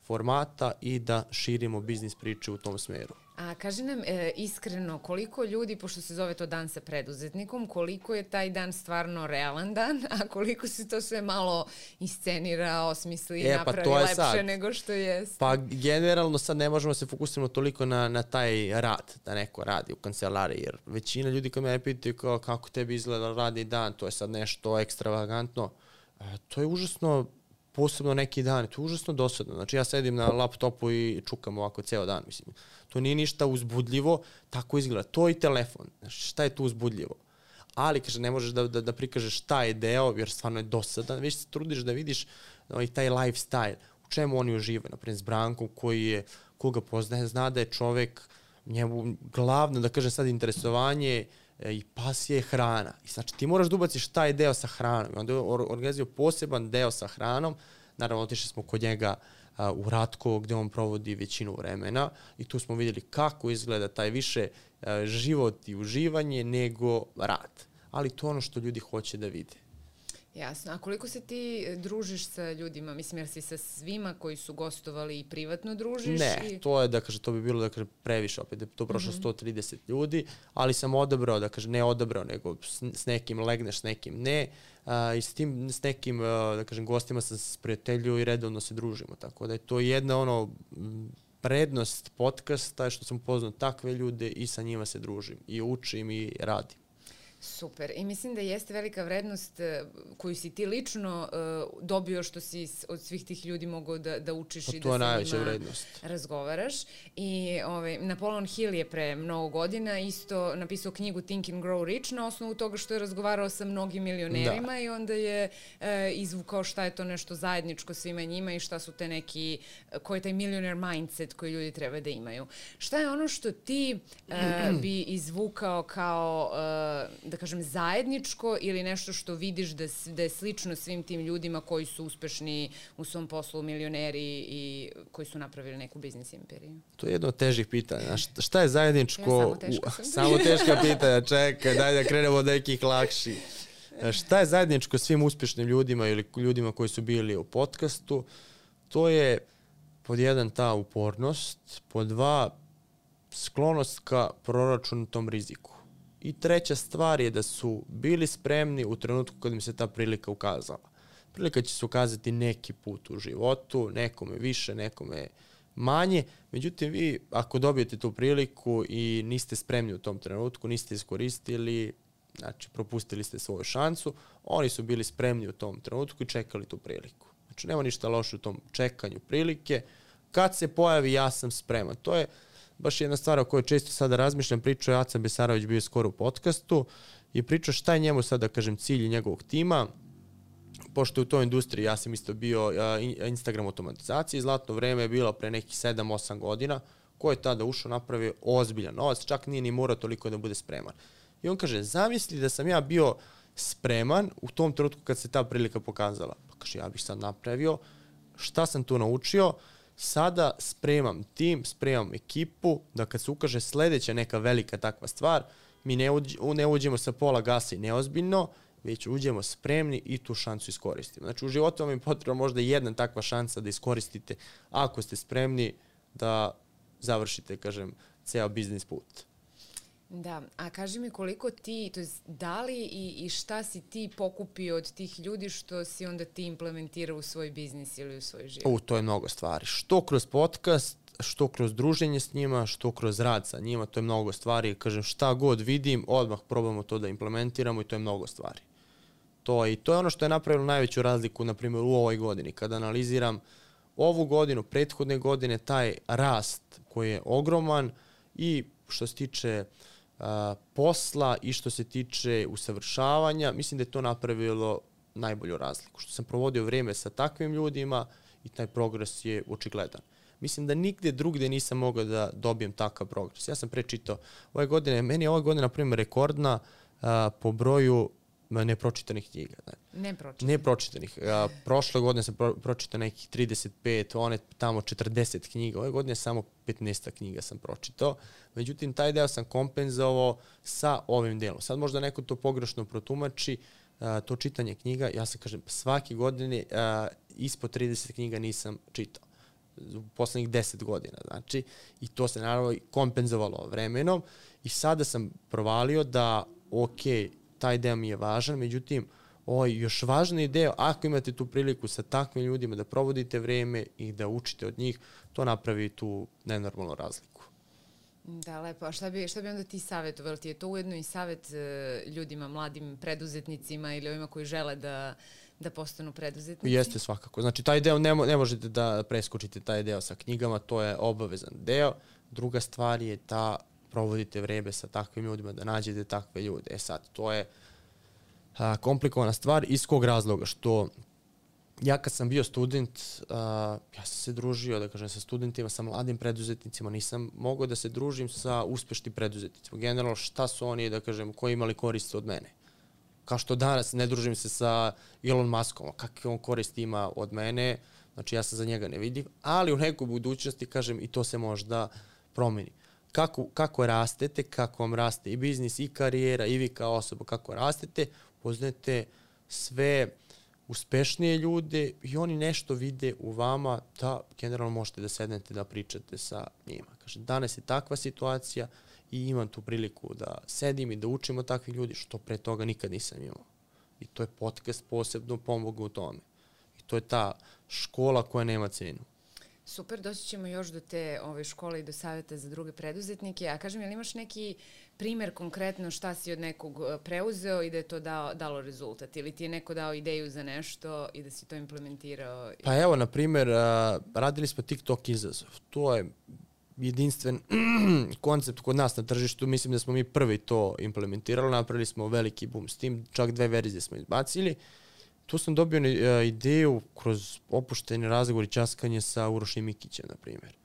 formata i da širimo biznis priče u tom smeru. A kaži nam e, iskreno, koliko ljudi, pošto se zove to dan sa preduzetnikom, koliko je taj dan stvarno realan dan, a koliko se to sve malo iscenira, osmisli i e, napravi pa lepše sad. nego što je? Pa generalno sad ne možemo se fokusiramo toliko na, na taj rad, da neko radi u kancelariji, jer većina ljudi kad me pitaju kao, kako tebi izgleda radni dan, to je sad nešto ekstravagantno, e, to je užasno, posebno neki dan, to je užasno dosadno. Znači ja sedim na laptopu i čukam ovako ceo dan, mislim. To nije ništa uzbudljivo, tako izgleda. To i telefon. Znači, šta je tu uzbudljivo? Ali, kaže, ne možeš da, da, da prikažeš šta je deo, jer stvarno je dosadan. Već se trudiš da vidiš ovaj, taj lifestyle, u čemu oni uživaju. Naprimjer, s Brankom, koji je, koga poznaje, zna da je čovek, njemu glavno, da kažem sad, interesovanje i pasija je hrana. I znači ti moraš da ubaciš taj deo sa hranom. I onda je organizio poseban deo sa hranom. Naravno, otišli smo kod njega uh, u Ratkovo gde on provodi većinu vremena i tu smo vidjeli kako izgleda taj više uh, život i uživanje nego rad. Ali to je ono što ljudi hoće da vide. Jasno. A koliko se ti družiš sa ljudima? Mislim, jer si sa svima koji su gostovali i privatno družiš? Ne, i... to je, da kaže, to bi bilo, da kaže, previše opet, da je to prošlo mm-hmm. sto trideset ljudi, ali sam odabrao, da kaže, ne odabrao, nego s, s nekim legneš, s nekim ne, a, i s tim, s nekim, a, da kažem, gostima sam se prijatelju i redovno se družimo, tako da je to jedna, ono, prednost podcasta, što sam upoznao takve ljude i sa njima se družim i učim i radim. Super. I mislim da jeste velika vrednost uh, koju si ti lično uh, dobio što si od svih tih ljudi mogao da, da učiš pa i da sa njima vrednost. razgovaraš. I ovaj, Napoleon Hill je pre mnogo godina isto napisao knjigu Think and Grow Rich na osnovu toga što je razgovarao sa mnogim milionerima da. I onda je uh, izvukao šta je to nešto zajedničko svima njima i šta su te neki, koji je taj millionaire mindset koji ljudi treba da imaju. Šta je ono što ti uh, bi izvukao kao uh, da kažem, zajedničko ili nešto što vidiš da, da je slično svim tim ljudima koji su uspešni u svom poslu, milioneri i koji su napravili neku biznis imperiju? To je jedno od težih pitanja. Šta je zajedničko? Ja, samo teška sam. Samo teška pitanja, čekaj, daj da krenemo od nekih lakših. Šta je zajedničko svim uspešnim ljudima ili ljudima koji su bili u podcastu? To je pod jedan ta upornost, pod dva sklonost ka proračunatom riziku. I treća stvar je da su bili spremni u trenutku kad im se ta prilika ukazala. Prilika će se ukazati neki put u životu, nekome više, nekome manje. Međutim, vi ako dobijete tu priliku i niste spremni u tom trenutku, niste iskoristili, znači propustili ste svoju šansu, oni su bili spremni u tom trenutku i čekali tu priliku. Znači, nema ništa loše u tom čekanju prilike. Kad se pojavi, ja sam spreman. To je baš jedna stvar o kojoj često sada razmišljam, pričao je Aca Besarović, bio skoro u podcastu i pričao šta je njemu sada, da kažem, cilj njegovog tima pošto u toj industriji, ja sam isto bio uh, Instagram automatizacije, zlatno vreme je bilo pre nekih sedam osam godina, ko je tada ušao, napravio ozbiljan novac, čak nije ni morao toliko da bude spreman. I on kaže, zamisli da sam ja bio spreman u tom trenutku kad se ta prilika pokazala. Pa kaže, ja bih sad napravio, šta sam tu naučio, sada spremam tim, spremam ekipu, da kad se ukaže sledeća neka velika takva stvar, mi ne, uđ, ne uđemo sa pola gasa i neozbiljno, već uđemo spremni i tu šansu iskoristimo. Znači u životu vam je potrebna možda jedna takva šansa da iskoristite ako ste spremni da završite, kažem, ceo biznis put. Da, a kaži mi koliko ti, to je da li i, i šta si ti pokupio od tih ljudi što si onda ti implementirao u svoj biznis ili u svoj život? U, to je mnogo stvari. Što kroz podcast, što kroz druženje s njima, što kroz rad sa njima, to je mnogo stvari. Kažem, šta god vidim, odmah probamo to da implementiramo i to je mnogo stvari. To je, i to je ono što je napravilo najveću razliku, na primjer, u ovoj godini. Kada analiziram ovu godinu, prethodne godine, taj rast koji je ogroman i što se tiče uh, posla i što se tiče usavršavanja, mislim da je to napravilo najbolju razliku. Što sam provodio vrijeme sa takvim ljudima i taj progres je očigledan. Mislim da nigde drugde nisam mogao da dobijem takav progres. Ja sam prečitao ove godine, meni je ove godine, na primjer, rekordna uh, po broju nepročitanih knjiga. Ne, nepročitanih. Nepročitanih. A, prošle godine sam pro, pročitao nekih trideset pet, one tamo četrdeset knjiga. Ove godine samo petnaest knjiga sam pročitao. Međutim, taj deo sam kompenzovao sa ovim delom. Sad možda neko to pogrešno protumači, a, to čitanje knjiga. Ja sam kažem, svake godine a, ispod trideset knjiga nisam čitao. U poslednjih deset godina. Znači, i to se naravno kompenzovalo vremenom. I sada sam provalio da, okej, taj deo mi je važan, međutim, ovaj još važniji deo, ako imate tu priliku sa takvim ljudima da provodite vreme i da učite od njih, to napravi tu nenormalnu razliku. Da, lepo. A šta bi, šta bi onda ti savjetovali? Ti je to ujedno i savjet uh, ljudima, mladim preduzetnicima ili ovima koji žele da, da postanu preduzetnici? Jeste svakako. Znači, taj deo ne, ne možete da preskočite taj deo sa knjigama, to je obavezan deo. Druga stvar je ta provodite vreme sa takvim ljudima, da nađete takve ljude. E sad, to je a, komplikovana stvar. Iz kog razloga? Što ja kad sam bio student, a, ja sam se družio, da kažem, sa studentima, sa mladim preduzetnicima, nisam mogao da se družim sa uspešnim preduzetnicima. Generalno, šta su oni, da kažem, koji imali korist od mene? Kao što danas ne družim se sa Elon Muskom, kakve on koristi ima od mene, znači ja sam za njega nevidljiv, ali u nekoj budućnosti, kažem, i to se možda promeni. Kako, kako rastete, kako vam raste i biznis, i karijera, i vi kao osoba, kako rastete, poznajete sve uspešnije ljude i oni nešto vide u vama da generalno možete da sednete da pričate sa njima. Kaže, danas je takva situacija i imam tu priliku da sedim i da učim od takvih ljudi, što pre toga nikad nisam imao. I to je podcast posebno pomogao u tome. I to je ta škola koja nema cenu. Super, doći ćemo još do te ove škole i do savjeta za druge preduzetnike. A kažem, je li imaš neki primer konkretno šta si od nekog preuzeo i da je to dao, dalo rezultat? Ili ti je neko dao ideju za nešto i da si to implementirao? Pa evo, na primjer, radili smo TikTok izazov. To je jedinstven koncept kod nas na tržištu. Mislim da smo mi prvi to implementirali. Napravili smo veliki boom s tim. Čak dve verzije smo izbacili. Tu sam dobio uh, ideju kroz opušteni razgovor i časkanje sa Urošem Mikićem, na primjer.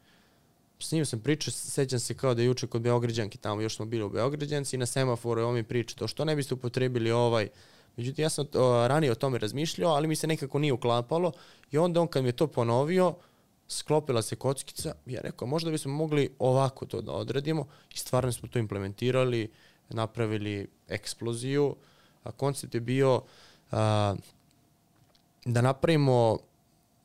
S njim sam pričao, sećam se kao da je juče kod Beograđanki, tamo još smo bili u Beograđanci i na semaforu on mi priča to što ne biste upotrebili ovaj. Međutim, ja sam uh, ranije o tome razmišljao, ali mi se nekako nije uklapalo i onda on kad mi je to ponovio, sklopila se kockica i ja rekao, možda bismo mogli ovako to da odradimo i stvarno smo to implementirali, napravili eksploziju. A koncept je bio uh, da napravimo,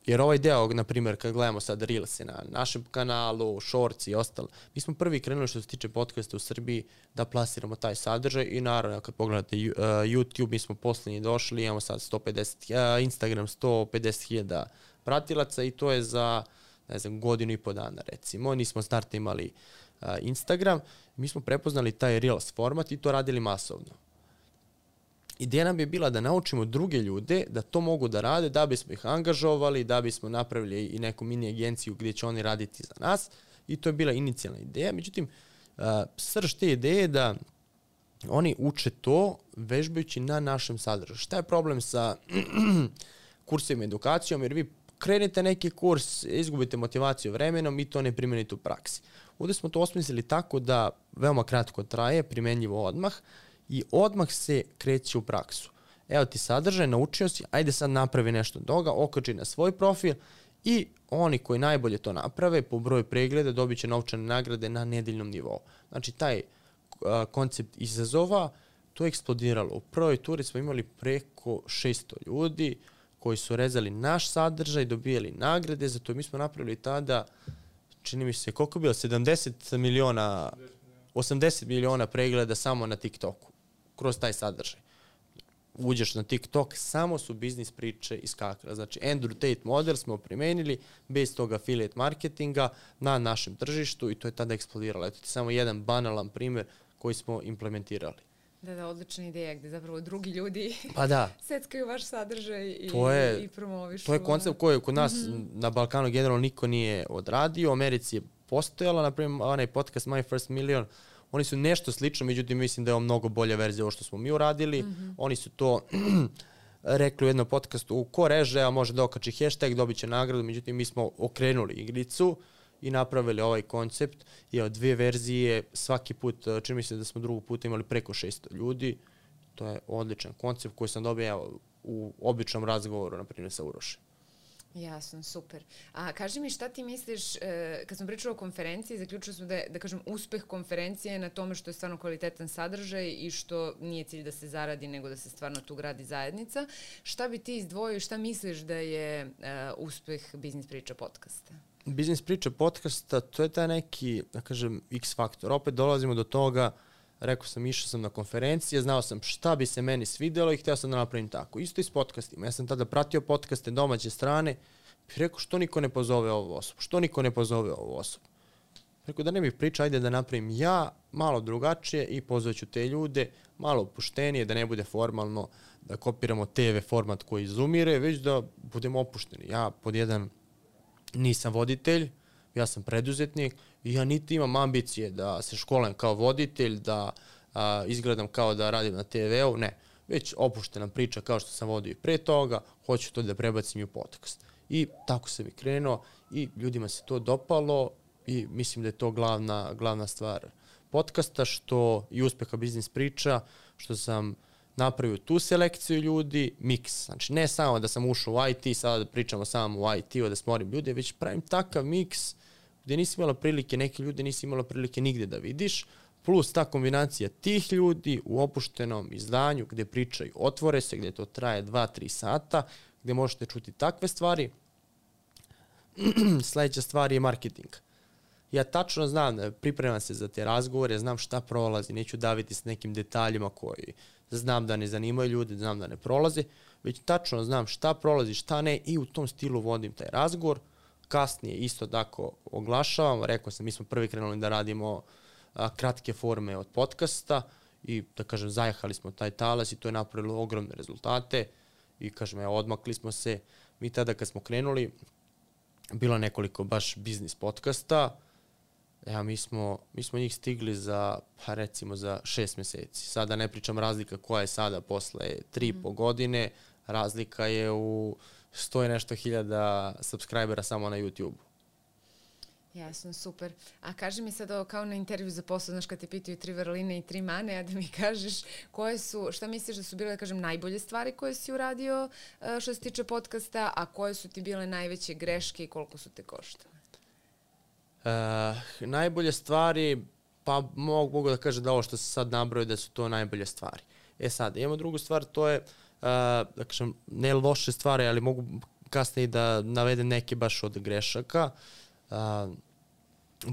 jer ovaj deo, na primjer, kad gledamo sad Reelse na našem kanalu, Shorts i ostalo, mi smo prvi krenuli što se tiče podcasta u Srbiji da plasiramo taj sadržaj i naravno kad pogledate uh, YouTube, mi smo posljednji došli, imamo sad sto pedeset, uh, Instagram sto pedeset hiljada pratilaca i to je za, ne znam, godinu i po dana recimo. Nismo start imali uh, Instagram, mi smo prepoznali taj Reels format i to radili masovno. Ideja nam je bila da naučimo druge ljude da to mogu da rade, da bismo ih angažovali, da bismo napravili i neku mini agenciju gdje će oni raditi za nas i to je bila inicijalna ideja. Međutim, uh, srž te ideje da oni uče to vežbajući na našem sadržaju. Šta je problem sa kursima edukacijom? Jer vi krenete neki kurs, izgubite motivaciju vremenom i to ne primenite u praksi. Ovdje smo to osmislili tako da veoma kratko traje, primenljivo odmah i odmah se kreće u praksu. Evo ti sadržaj, naučio si, ajde sad napravi nešto od toga, okači na svoj profil i oni koji najbolje to naprave po broju pregleda dobit će novčane nagrade na nedeljnom nivou. Znači taj uh, koncept izazova, to je eksplodiralo. U prvoj turi smo imali preko šesto ljudi koji su rezali naš sadržaj, dobijali nagrade, zato mi smo napravili tada, čini mi se, koliko je bilo, sedamdeset miliona, osamdeset miliona pregleda samo na TikToku, kroz taj sadržaj. Uđeš na TikTok, samo su biznis priče iskakale. Znači, Andrew Tate model smo primenili bez toga affiliate marketinga na našem tržištu i to je tada eksplodiralo. Eto ti samo jedan banalan primjer koji smo implementirali. Da, da, odlična ideja gde zapravo drugi ljudi pa da. seckaju vaš sadržaj i, to je, i promovišu. To je koncept koji kod nas mm-hmm. na Balkanu generalno niko nije odradio. U Americi je postojala, na primjer, onaj podcast My First Million, oni su nešto slično, međutim mislim da je ovo mnogo bolja verzija ovo što smo mi uradili. Mm-hmm. Oni su to rekli u jednom podcastu, ko reže, a može da okači hashtag, dobit će nagradu, međutim mi smo okrenuli igricu i napravili ovaj koncept. I od dvije verzije, svaki put, čini mi se da smo drugog puta imali preko šesto ljudi. To je odličan koncept koji sam dobio evo, u običnom razgovoru, na primjer, sa Urošem. Jasno, super. A kaži mi šta ti misliš, e, kad smo pričali o konferenciji, zaključili smo da je, da kažem, uspeh konferencije na tome što je stvarno kvalitetan sadržaj i što nije cilj da se zaradi, nego da se stvarno tu gradi zajednica. Šta bi ti izdvojio, šta misliš da je e, uspeh Biznis priča podcasta? Biznis priča podcasta, to je taj neki, da kažem, X faktor. Opet dolazimo do toga, rekao sam, išao sam na konferencije, znao sam šta bi se meni svidjelo i htio sam da napravim tako. Isto i s podcastima. Ja sam tada pratio podcaste domaće strane i rekao što niko ne pozove ovu osobu, što niko ne pozove ovu osobu. Rekao da ne bih pričao, ajde da napravim ja malo drugačije i pozvaću te ljude, malo opuštenije, da ne bude formalno, da kopiramo te ve format koji izumire, već da budemo opušteni. Ja pod jedan nisam voditelj, ja sam preduzetnik i ja niti imam ambicije da se školam kao voditelj, da a, izgledam kao da radim na te veu, ne. Već opuštena priča kao što sam vodio i pre toga, hoću to da prebacim i u podcast. I tako sam i krenuo i ljudima se to dopalo i mislim da je to glavna, glavna stvar podcasta, što i uspeha Biznis priča, što sam napravio tu selekciju ljudi, miks. Znači, ne samo da sam ušao u I T, sada da pričamo samo u I T-u, da smorim ljude, već pravim takav miks gdje nisi imala prilike, neke ljude nisi imala prilike nigde da vidiš, plus ta kombinacija tih ljudi u opuštenom izdanju gdje pričaju, otvore se, gdje to traje dva tri sata, gdje možete čuti takve stvari. Sljedeća stvar je marketing. Ja tačno znam, pripremam se za te razgovore, znam šta prolazi, neću daviti s nekim detaljima koji znam da ne zanimaju ljude, znam da ne prolaze, već tačno znam šta prolazi, šta ne i u tom stilu vodim taj razgovor. Kasnije isto tako oglašavam, rekao sam, mi smo prvi krenuli da radimo a, kratke forme od podcasta i da kažem, zajahali smo taj talas i to je napravilo ogromne rezultate i kažem, evo, odmakli smo se. Mi tada kad smo krenuli, bilo nekoliko baš biznis podcasta, ja, mi smo, mi smo njih stigli za, pa recimo, za šest mjeseci. Sada ne pričam razlika koja je sada posle tri i po godine, razlika je u sto i nešto hiljada subscribera samo na YouTube. Jasno, super. A kaži mi sad ovo kao na intervju za posao, znaš kad te pitaju tri vrline i tri mane, a da mi kažeš koje su, šta misliš da su bile, da kažem, najbolje stvari koje si uradio što se tiče podcasta, a koje su ti bile najveće greške i koliko su te koštale? Uh, najbolje stvari, pa mogu, mogu da kažem da ovo što se sad nabrojio da su to najbolje stvari. E sad, imamo drugu stvar, to je, uh, da kažem, ne loše stvari, ali mogu kasnije da navedem neke baš od grešaka. Uh,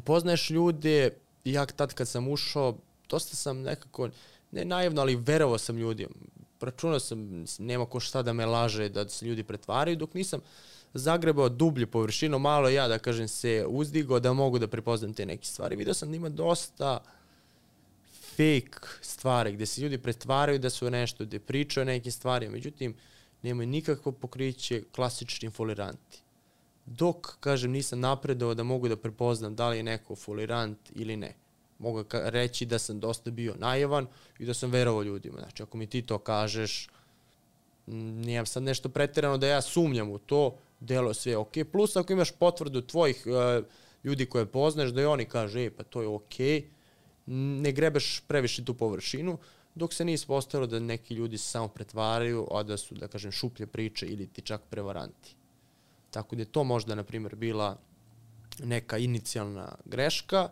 poznaješ ljude, ja tad kad sam ušao, dosta sam nekako, ne naivno, ali verovao sam ljudima. Računao sam, nema ko šta da me laže, da se ljudi pretvaraju, dok nisam zagrebao dublje površinu, malo ja, da kažem, se uzdigao da mogu da prepoznam te neke stvari. Vidio sam da ima dosta fake stvari, gdje se ljudi pretvaraju da su nešto, gdje pričaju neke stvari, međutim, nemaju nikakvo pokriće, klasični foliranti. Dok, kažem, nisam napredao da mogu da prepoznam da li je neko folirant ili ne. Mogu reći da sam dosta bio naivan i da sam verovao ljudima. Znači, ako mi ti to kažeš, nijem sad nešto pretjerano da ja sumnjam u to, delo sve ok. Plus, ako imaš potvrdu tvojih uh, ljudi koje poznaš, da i oni kažu, ej, pa to je ok, ne grebeš previše tu površinu, dok se nije ispostavilo da neki ljudi se samo pretvaraju, a da su, da kažem, šuplje priče ili ti čak prevaranti. Tako da je to možda, na primjer, bila neka inicijalna greška.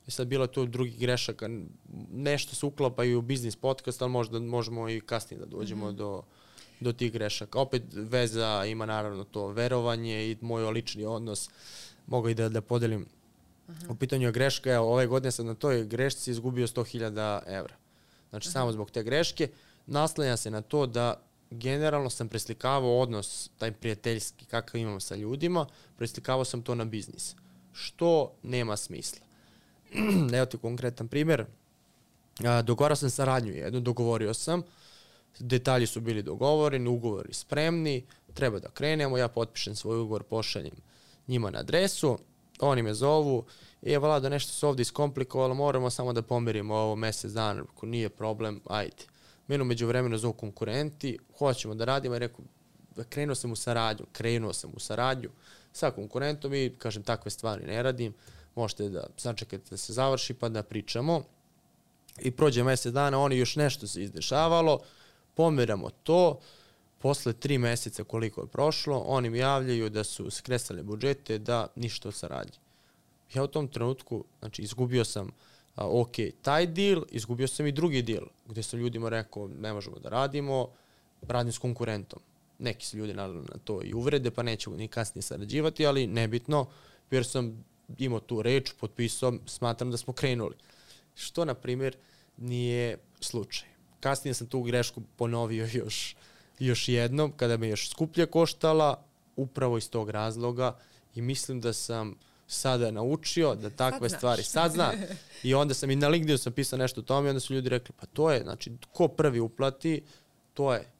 I sad bila tu drugih grešaka, nešto se uklapa i u biznis podcast, ali možda možemo i kasnije da dođemo mm-hmm. do, do tih grešaka. Opet veza ima naravno to verovanje i moj lični odnos. Mogu i da, da podelim. Uh-huh. U pitanju je greška, evo, ove godine sam na toj grešci izgubio sto hiljada evra. Znači, uh-huh. samo zbog te greške. Naslanjam se na to da generalno sam preslikavao odnos, taj prijateljski, kakav imam sa ljudima, preslikavao sam to na biznis. Što nema smisla. Evo ti konkretan primjer. Dogovarao sam saradnju jednu, dogovorio sam, detalji su bili dogovoreni, ugovori spremni, treba da krenemo, ja potpišem svoj ugovor, pošaljem njima na adresu, oni me zovu, je Vlado, nešto se ovdje iskomplikovalo, moramo samo da pomirimo ovo mjesec dana, ako nije problem, ajde. Meni umeđu vremenu zovu konkurenti, hoćemo da radimo, i rekao, krenuo sam u saradnju, krenuo sam u saradnju sa konkurentom i, kažem, takve stvari ne radim, možete da sačekate da se završi pa da pričamo. I prođe mjesec dana, oni još nešto se izdešavalo, pomeramo to, posle tri mjeseca koliko je prošlo, oni mi javljaju da su skresali budžete, da ništa od saradnje. Ja u tom trenutku, znači, izgubio sam, a, ok, taj deal, izgubio sam i drugi deal, gdje sam ljudima rekao, ne možemo da radimo, radim s konkurentom. Neki su ljudi naravno na to i uvrede, pa nećemo ni kasnije sarađivati, ali nebitno, jer sam imao tu reč, potpisao, smatram da smo krenuli. Što, na primjer, nije slučaj. Kasnije sam tu grešku ponovio još, još jednom, kada me još skuplje koštala, upravo iz tog razloga, i mislim da sam sada naučio da takve sad stvari, sad znam. I onda sam i na LinkedInu sam pisao nešto o tome i onda su ljudi rekli, pa to je, znači, ko prvi uplati, to je.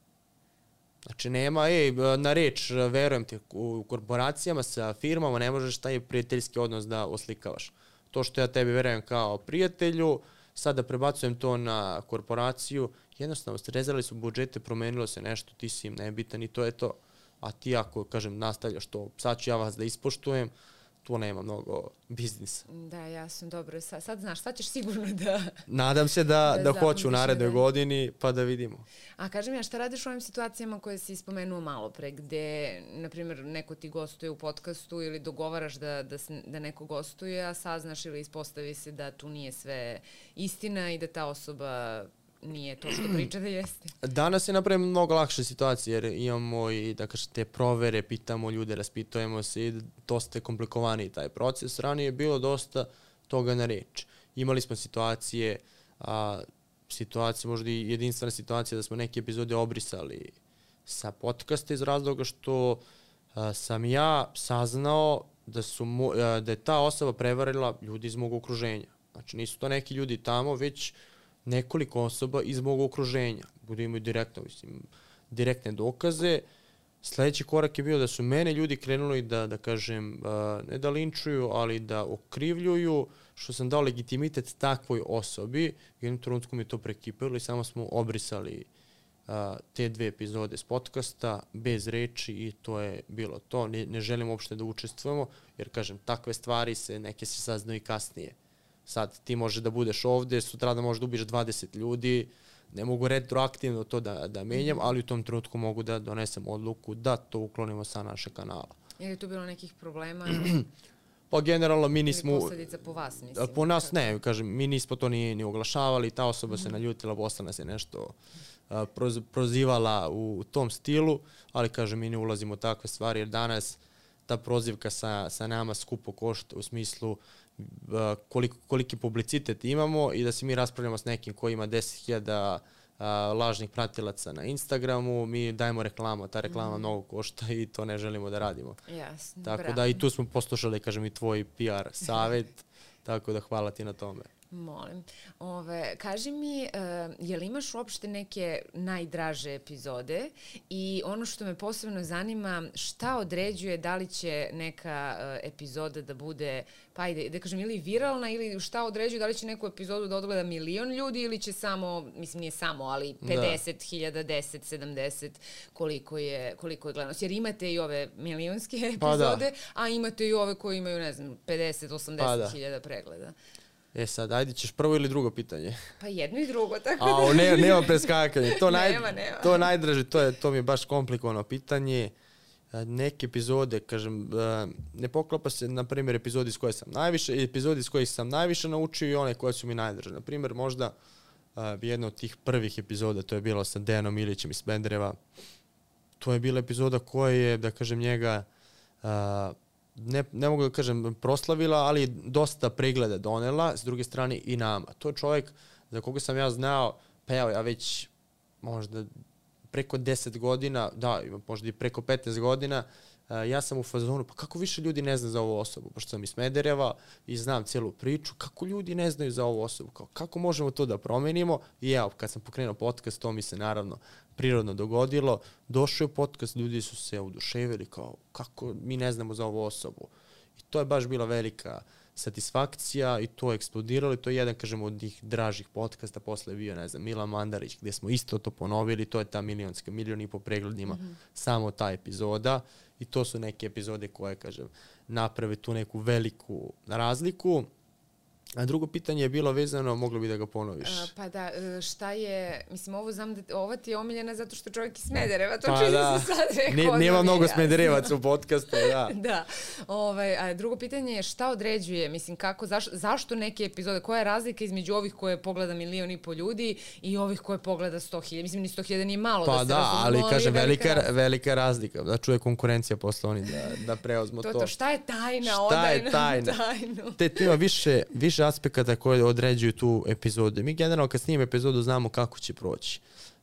Znači, nema, ej, na reč, verujem ti, u korporacijama sa firmama ne možeš taj prijateljski odnos da oslikavaš. To što ja tebi verujem kao prijatelju, sada prebacujem to na korporaciju, jednostavno, srezali su budžete, promenilo se nešto, ti si im nebitan i to je to. A ti ako, kažem, nastavljaš to, sad ću ja vas da ispoštujem, tu nema mnogo biznisa. Da, jasno, dobro. Sad, sad znaš, sad ćeš sigurno da... Nadam se da, da, da hoću u narednoj da. godini, pa da vidimo. A kaži mi, a šta radiš u ovim situacijama koje si spomenuo malo pre, gde, na primjer, neko ti gostuje u podcastu ili dogovaraš da, da, da neko gostuje, a saznaš ili ispostavi se da tu nije sve istina i da ta osoba nije to što priča da jeste? Danas je napravimo mnogo lakše situacije jer imamo i da kažem te provere, pitamo ljude, raspitujemo se i dosta je komplikovaniji taj proces. Ranije je bilo dosta toga na reč. Imali smo situacije, a, situacije, možda i jedinstvena situacija da smo neke epizode obrisali sa podcasta iz razloga što a, sam ja saznao da, su mo, a, da je ta osoba prevarila ljudi iz mog okruženja. Znači nisu to neki ljudi tamo, već nekoliko osoba iz mog okruženja. Budu imaju direktno, mislim, direktne dokaze. Sljedeći korak je bio da su mene ljudi krenuli da, da kažem, uh, ne da linčuju, ali da okrivljuju, što sam dao legitimitet takvoj osobi. U jednom trenutku mi to prekipilo i samo smo obrisali uh, te dve epizode s podcasta bez reči i to je bilo to. Ne, ne želim uopšte da učestvujemo, jer, kažem, takve stvari se, neke se saznaju i kasnije. Sad ti može da budeš ovdje, sutra da možeš da ubiješ dvadeset ljudi, ne mogu retroaktivno to da, da menjam, ali u tom trenutku mogu da donesem odluku da to uklonimo sa našeg kanala. Je li tu bilo nekih problema? Pa generalno mi nismo... Ili posljedica po vas, mislim? Po nas ne, kažem, mi nismo to ni, ni oglašavali, ta osoba mm-hmm. se naljutila, Bosna se nešto uh, proz, prozivala u, u tom stilu, ali kažem, mi ne ulazimo u takve stvari, jer danas ta prozivka sa, sa nama skupo košta u smislu koliko, koliki publicitet imamo i da se mi raspravljamo s nekim koji ima deset hiljada lažnih pratilaca na Instagramu, mi dajemo reklamu, ta reklama mm. mnogo košta i to ne želimo da radimo. Jasno, tako bravo. Da i tu smo poslušali, kažem, i tvoj P R savjet, tako da hvala ti na tome. Molim. Ove, kaži mi, uh, je li imaš uopšte neke najdraže epizode i ono što me posebno zanima, šta određuje da li će neka uh, epizoda da bude, pa ajde, da kažem, ili viralna ili šta određuje da li će neku epizodu da odgleda milion ljudi ili će samo, mislim nije samo, ali pedeset hiljada, deset, sedamdeset, koliko je, koliko je gledanost. Jer imate i ove milionske epizode, pa da. A imate i ove koji imaju, ne znam, pedeset, osamdeset hiljada pa pregleda. E sad, ajde ćeš prvo ili drugo pitanje? Pa jedno i drugo, tako da... A, ne, nema preskakanje. To, naj, nema, nema. To najdraže, to, je, to mi je baš komplikovano pitanje. Neke epizode, kažem, ne poklapa se, na primjer, epizodi iz koje sam najviše, epizodi iz kojih sam najviše naučio i one koje su mi najdraže. Na primjer, možda jedna od tih prvih epizoda, to je bilo sa Dejanom Ilićem iz Smedereva. To je bila epizoda koja je, da kažem, njega... Ne, ne mogu da kažem proslavila, ali dosta pregleda donela, s druge strane i nama. To je čovjek za koga sam ja znao, pa evo ja već možda preko deset godina, da, možda i preko petnaest godina, uh, ja sam u fazonu, pa kako više ljudi ne zna za ovu osobu, pošto sam iz Smedereva i znam cijelu priču, kako ljudi ne znaju za ovu osobu, kao, kako možemo to da promenimo i evo, kad sam pokrenuo podcast, to mi se naravno prirodno dogodilo, došao je podcast, ljudi su se oduševili kao kako mi ne znamo za ovu osobu. I to je baš bila velika satisfakcija i to je eksplodiralo i to je jedan, kažem, od njih dražih podcasta, posle bio, ne znam, Milan Mandarić, gdje smo isto to ponovili, to je ta milionska, milion i po pregledima, mm-hmm. samo ta epizoda i to su neke epizode koje, kažem, naprave tu neku veliku razliku. A drugo pitanje je bilo vezano, moglo bi da ga ponoviš. Uh, pa da, šta je, mislim, ovo znam da, ova ti je omiljena zato što čovjek iz Smedereva, to pa čini da. se sad rekao. Nema mnogo Smederevaca u podcastu, da. Da. Ovaj, a drugo pitanje je šta određuje, mislim, kako, zaš, zašto neke epizode, koja je razlika između ovih koje pogleda milion i po ljudi i ovih koje pogleda sto hiljada? Mislim, ni sto hiljada nije malo pa da se da, razumemo, ali, kaže, velika, velika, razlika. velika razlika, da čuje konkurencija posle oni da, da preozmo to. To, to, šta je tajna? Šta je tajna? tajnu. Te tu ima više, više aspekata koje određuju tu epizodu. Mi generalno kad snimimo epizodu znamo kako će proći.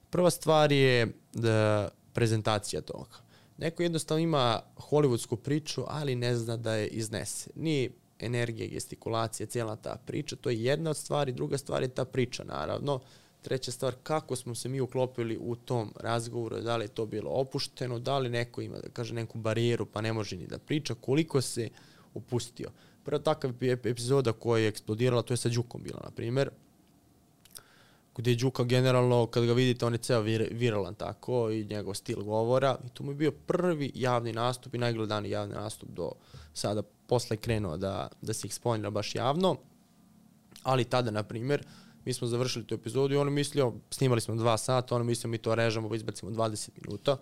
Prva stvar je da prezentacija toga. Neko jednostavno ima hollywoodsku priču, ali ne zna da je iznese. Ni energija, gestikulacija, cijela ta priča, to je jedna od stvari. Druga stvar je ta priča, naravno. Treća stvar, kako smo se mi uklopili u tom razgovoru, da li je to bilo opušteno, da li neko ima, da kaže, neku barijeru pa ne može ni da priča, koliko se upustio. Prva takav epizoda koja je eksplodirala, to je sa Đukom bila, na primjer, gdje je Đuka generalno, kad ga vidite, on je ceo vir, viralan tako i njegov stil govora. I to mu je bio prvi javni nastup i najgledaniji javni nastup do sada. Posle je krenuo da, da se eksponira baš javno. Ali tada, na primjer, mi smo završili tu epizodu i on je mislio, snimali smo dva sata, on je mislio mi to režemo, izbacimo dvadeset minuta.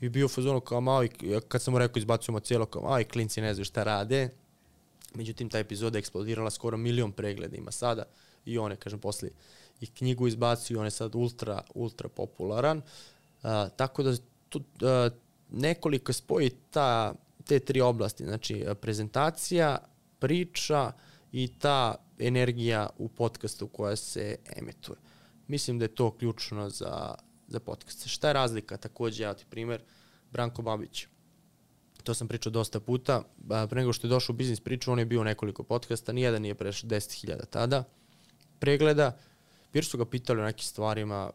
I bio u fazonu kao malo, kad sam mu rekao izbacujemo cijelo, kao malo i klinci ne znaju šta rade. Međutim, ta epizoda je eksplodirala, skoro milion pregleda ima sada i on je, kažem, posle i knjigu izbacio, on je sad ultra, ultra popularan. Uh, tako da tu, uh, nekoliko spoji ta, te tri oblasti, znači prezentacija, priča i ta energija u podcastu koja se emituje. Mislim da je to ključno za, za podcast. Šta je razlika? Također, ja ti primjer, Branko Babić. To sam pričao dosta puta. Pre nego što je došao u biznis priču, on je bio u nekoliko podcasta, nijedan nije prešao deset hiljada tada pregleda. Jer su ga pitali o nekim stvarima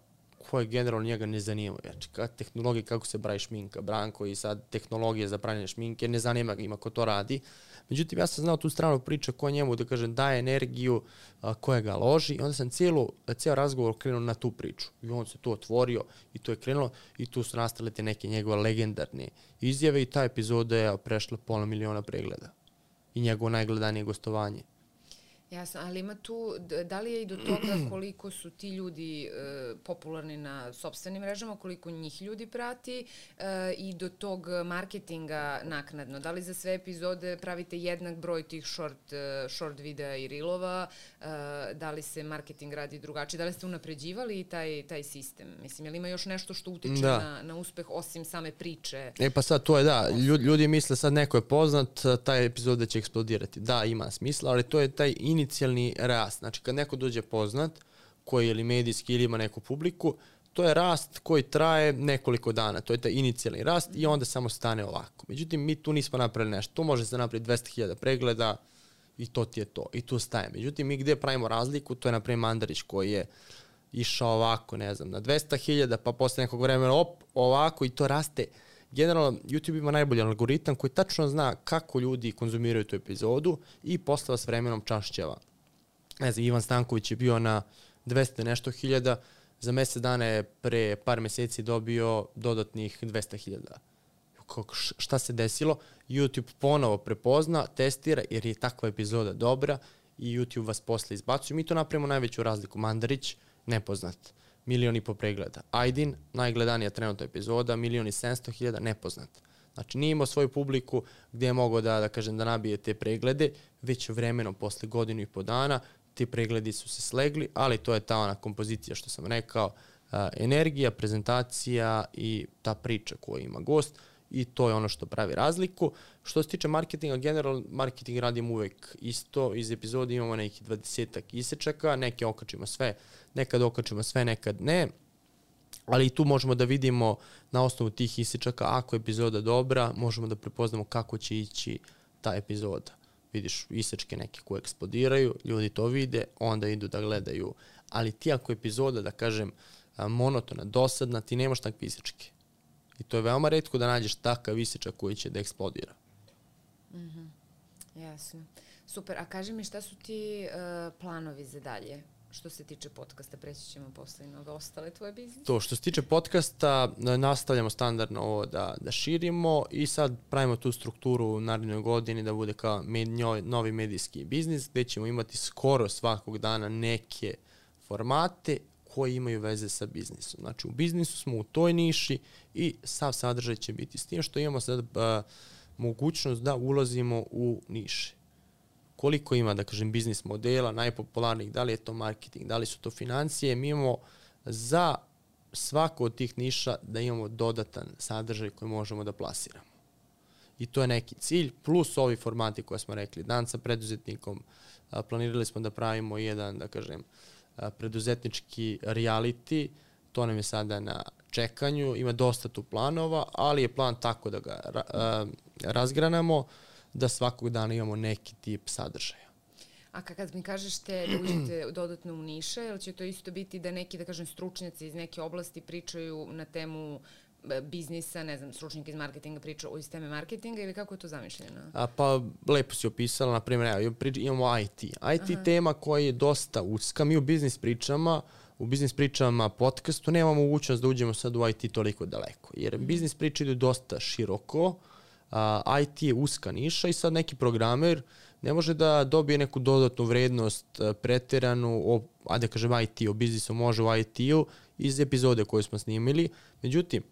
koje generalno njega ne zanimaju. Znači, kad tehnologija, kako se pravi šminka, Branko i sad tehnologija za pravljanje šminke, ne zanima ga, ima ko to radi. Međutim, ja sam znao tu stranu priča koja njemu, da kažem, daje energiju, a, koja ga loži i onda sam cijelu, cijel razgovor krenuo na tu priču. I on se tu otvorio i to je krenulo i tu su nastale te neke njegove legendarne izjave i ta epizoda je prešla pola miliona pregleda. I njegovo najgledanije gostovanje. Jasno, ali ima tu, da li je i do toga koliko su ti ljudi e, popularni na sopstvenim mrežama, koliko njih ljudi prati e, i do tog marketinga naknadno? Da li za sve epizode pravite jednak broj tih short, short videa i reelova? E, da li se marketing radi drugačije? Da li ste unapređivali taj, taj sistem? Mislim, je li ima još nešto što utiče na, na uspeh osim same priče? E pa sad to je da, ljudi, ljudi misle sad neko je poznat, taj epizoda će eksplodirati. Da, ima smisla, ali to je taj inicijalni rast. Znači, kad neko dođe poznat, koji ili medijski ili ima neku publiku, to je rast koji traje nekoliko dana. To je taj inicijalni rast i onda samo stane ovako. Međutim, mi tu nismo napravili nešto. Tu može se napraviti dvesta hiljada pregleda i to ti je to. I tu staje. Međutim, mi gde pravimo razliku, to je, na primjer, Mandarić koji je išao ovako, ne znam, na dvesta hiljada, pa posle nekog vremena op, ovako i to raste. Generalno, YouTube ima najbolji algoritam koji tačno zna kako ljudi konzumiraju tu epizodu i posle vas vremenom čašćava. Ne znam, Ivan Stanković je bio na dvesta nešto hiljada, za mesec dana je pre par meseci dobio dodatnih dvesta hiljada. Šta se desilo? YouTube ponovo prepozna, testira jer je takva epizoda dobra i YouTube vas posle izbacuje. Mi to napravimo najveću razliku. Mandarić, nepoznat, milion i po pregleda. Aydin, najgledanija trenutna epizoda, milion i sedamsto hiljada, nepoznat. Znači, nije imao svoju publiku gdje je mogao da, da kažem, da nabije te preglede, već vremenom posle godinu i po dana ti pregledi su se slegli, ali to je ta ona kompozicija što sam rekao, uh, energija, prezentacija i ta priča koju ima gost i to je ono što pravi razliku. Što se tiče marketinga, generalno marketing radimo uvek isto, iz epizode imamo nekih dvadesetak isečaka, neke okačimo sve, nekad okačimo sve, nekad ne, ali i tu možemo da vidimo na osnovu tih isečaka, ako je epizoda dobra, možemo da prepoznamo kako će ići ta epizoda. Vidiš isečke neke koje eksplodiraju, ljudi to vide, onda idu da gledaju. Ali ti ako je epizoda, da kažem, monotona, dosadna, ti nemaš takve isečke. I to je veoma retko da nađeš takav isečak koji će da eksplodira. Mhm, jasno. Super, a kaži mi šta su ti uh, planovi za dalje? Što se tiče podcasta, preći ćemo posle na ove ostale tvoje biznise. To, što se tiče podcasta, nastavljamo standardno ovo da, da širimo i sad pravimo tu strukturu u narednoj godini da bude kao med, njoj, novi medijski biznis, gde ćemo imati skoro svakog dana neke formate koji imaju veze sa biznisom. Znači, u biznisu smo u toj niši i sav sadržaj će biti s tim što imamo sad a, mogućnost da ulazimo u niše. Koliko ima, da kažem, biznis modela, najpopularnijih, da li je to marketing, da li su to financije, mi imamo za svako od tih niša da imamo dodatan sadržaj koji možemo da plasiramo. I to je neki cilj, plus ovi formati koje smo rekli, dan sa preduzetnikom, a, planirali smo da pravimo jedan, da kažem, a, preduzetnički reality, to nam je sada na čekanju, ima dosta tu planova, ali je plan tako da ga ra, a, razgranamo, da svakog dana imamo neki tip sadržaja. A kad mi kažeš te da uđete dodatno u niše, ili će to isto biti da neki, da kažem, stručnjaci iz neke oblasti pričaju na temu biznisa, ne znam, stručnjak iz marketinga priča o isteme marketinga ili kako je to zamišljeno? A, pa lepo si opisala, na primjer, evo, imamo I T. I T Aha. tema koja je dosta uska. Mi u biznis pričama, u biznis pričama podcastu nemamo mogućnost da uđemo sad u I T toliko daleko, jer mm. biznis priče idu dosta široko, Uh, I T je uska niša i sad neki programer ne može da dobije neku dodatnu vrednost uh, preteranu, o, a da kažem I T, o biznisu može u I T-u iz epizode koju smo snimili. Međutim,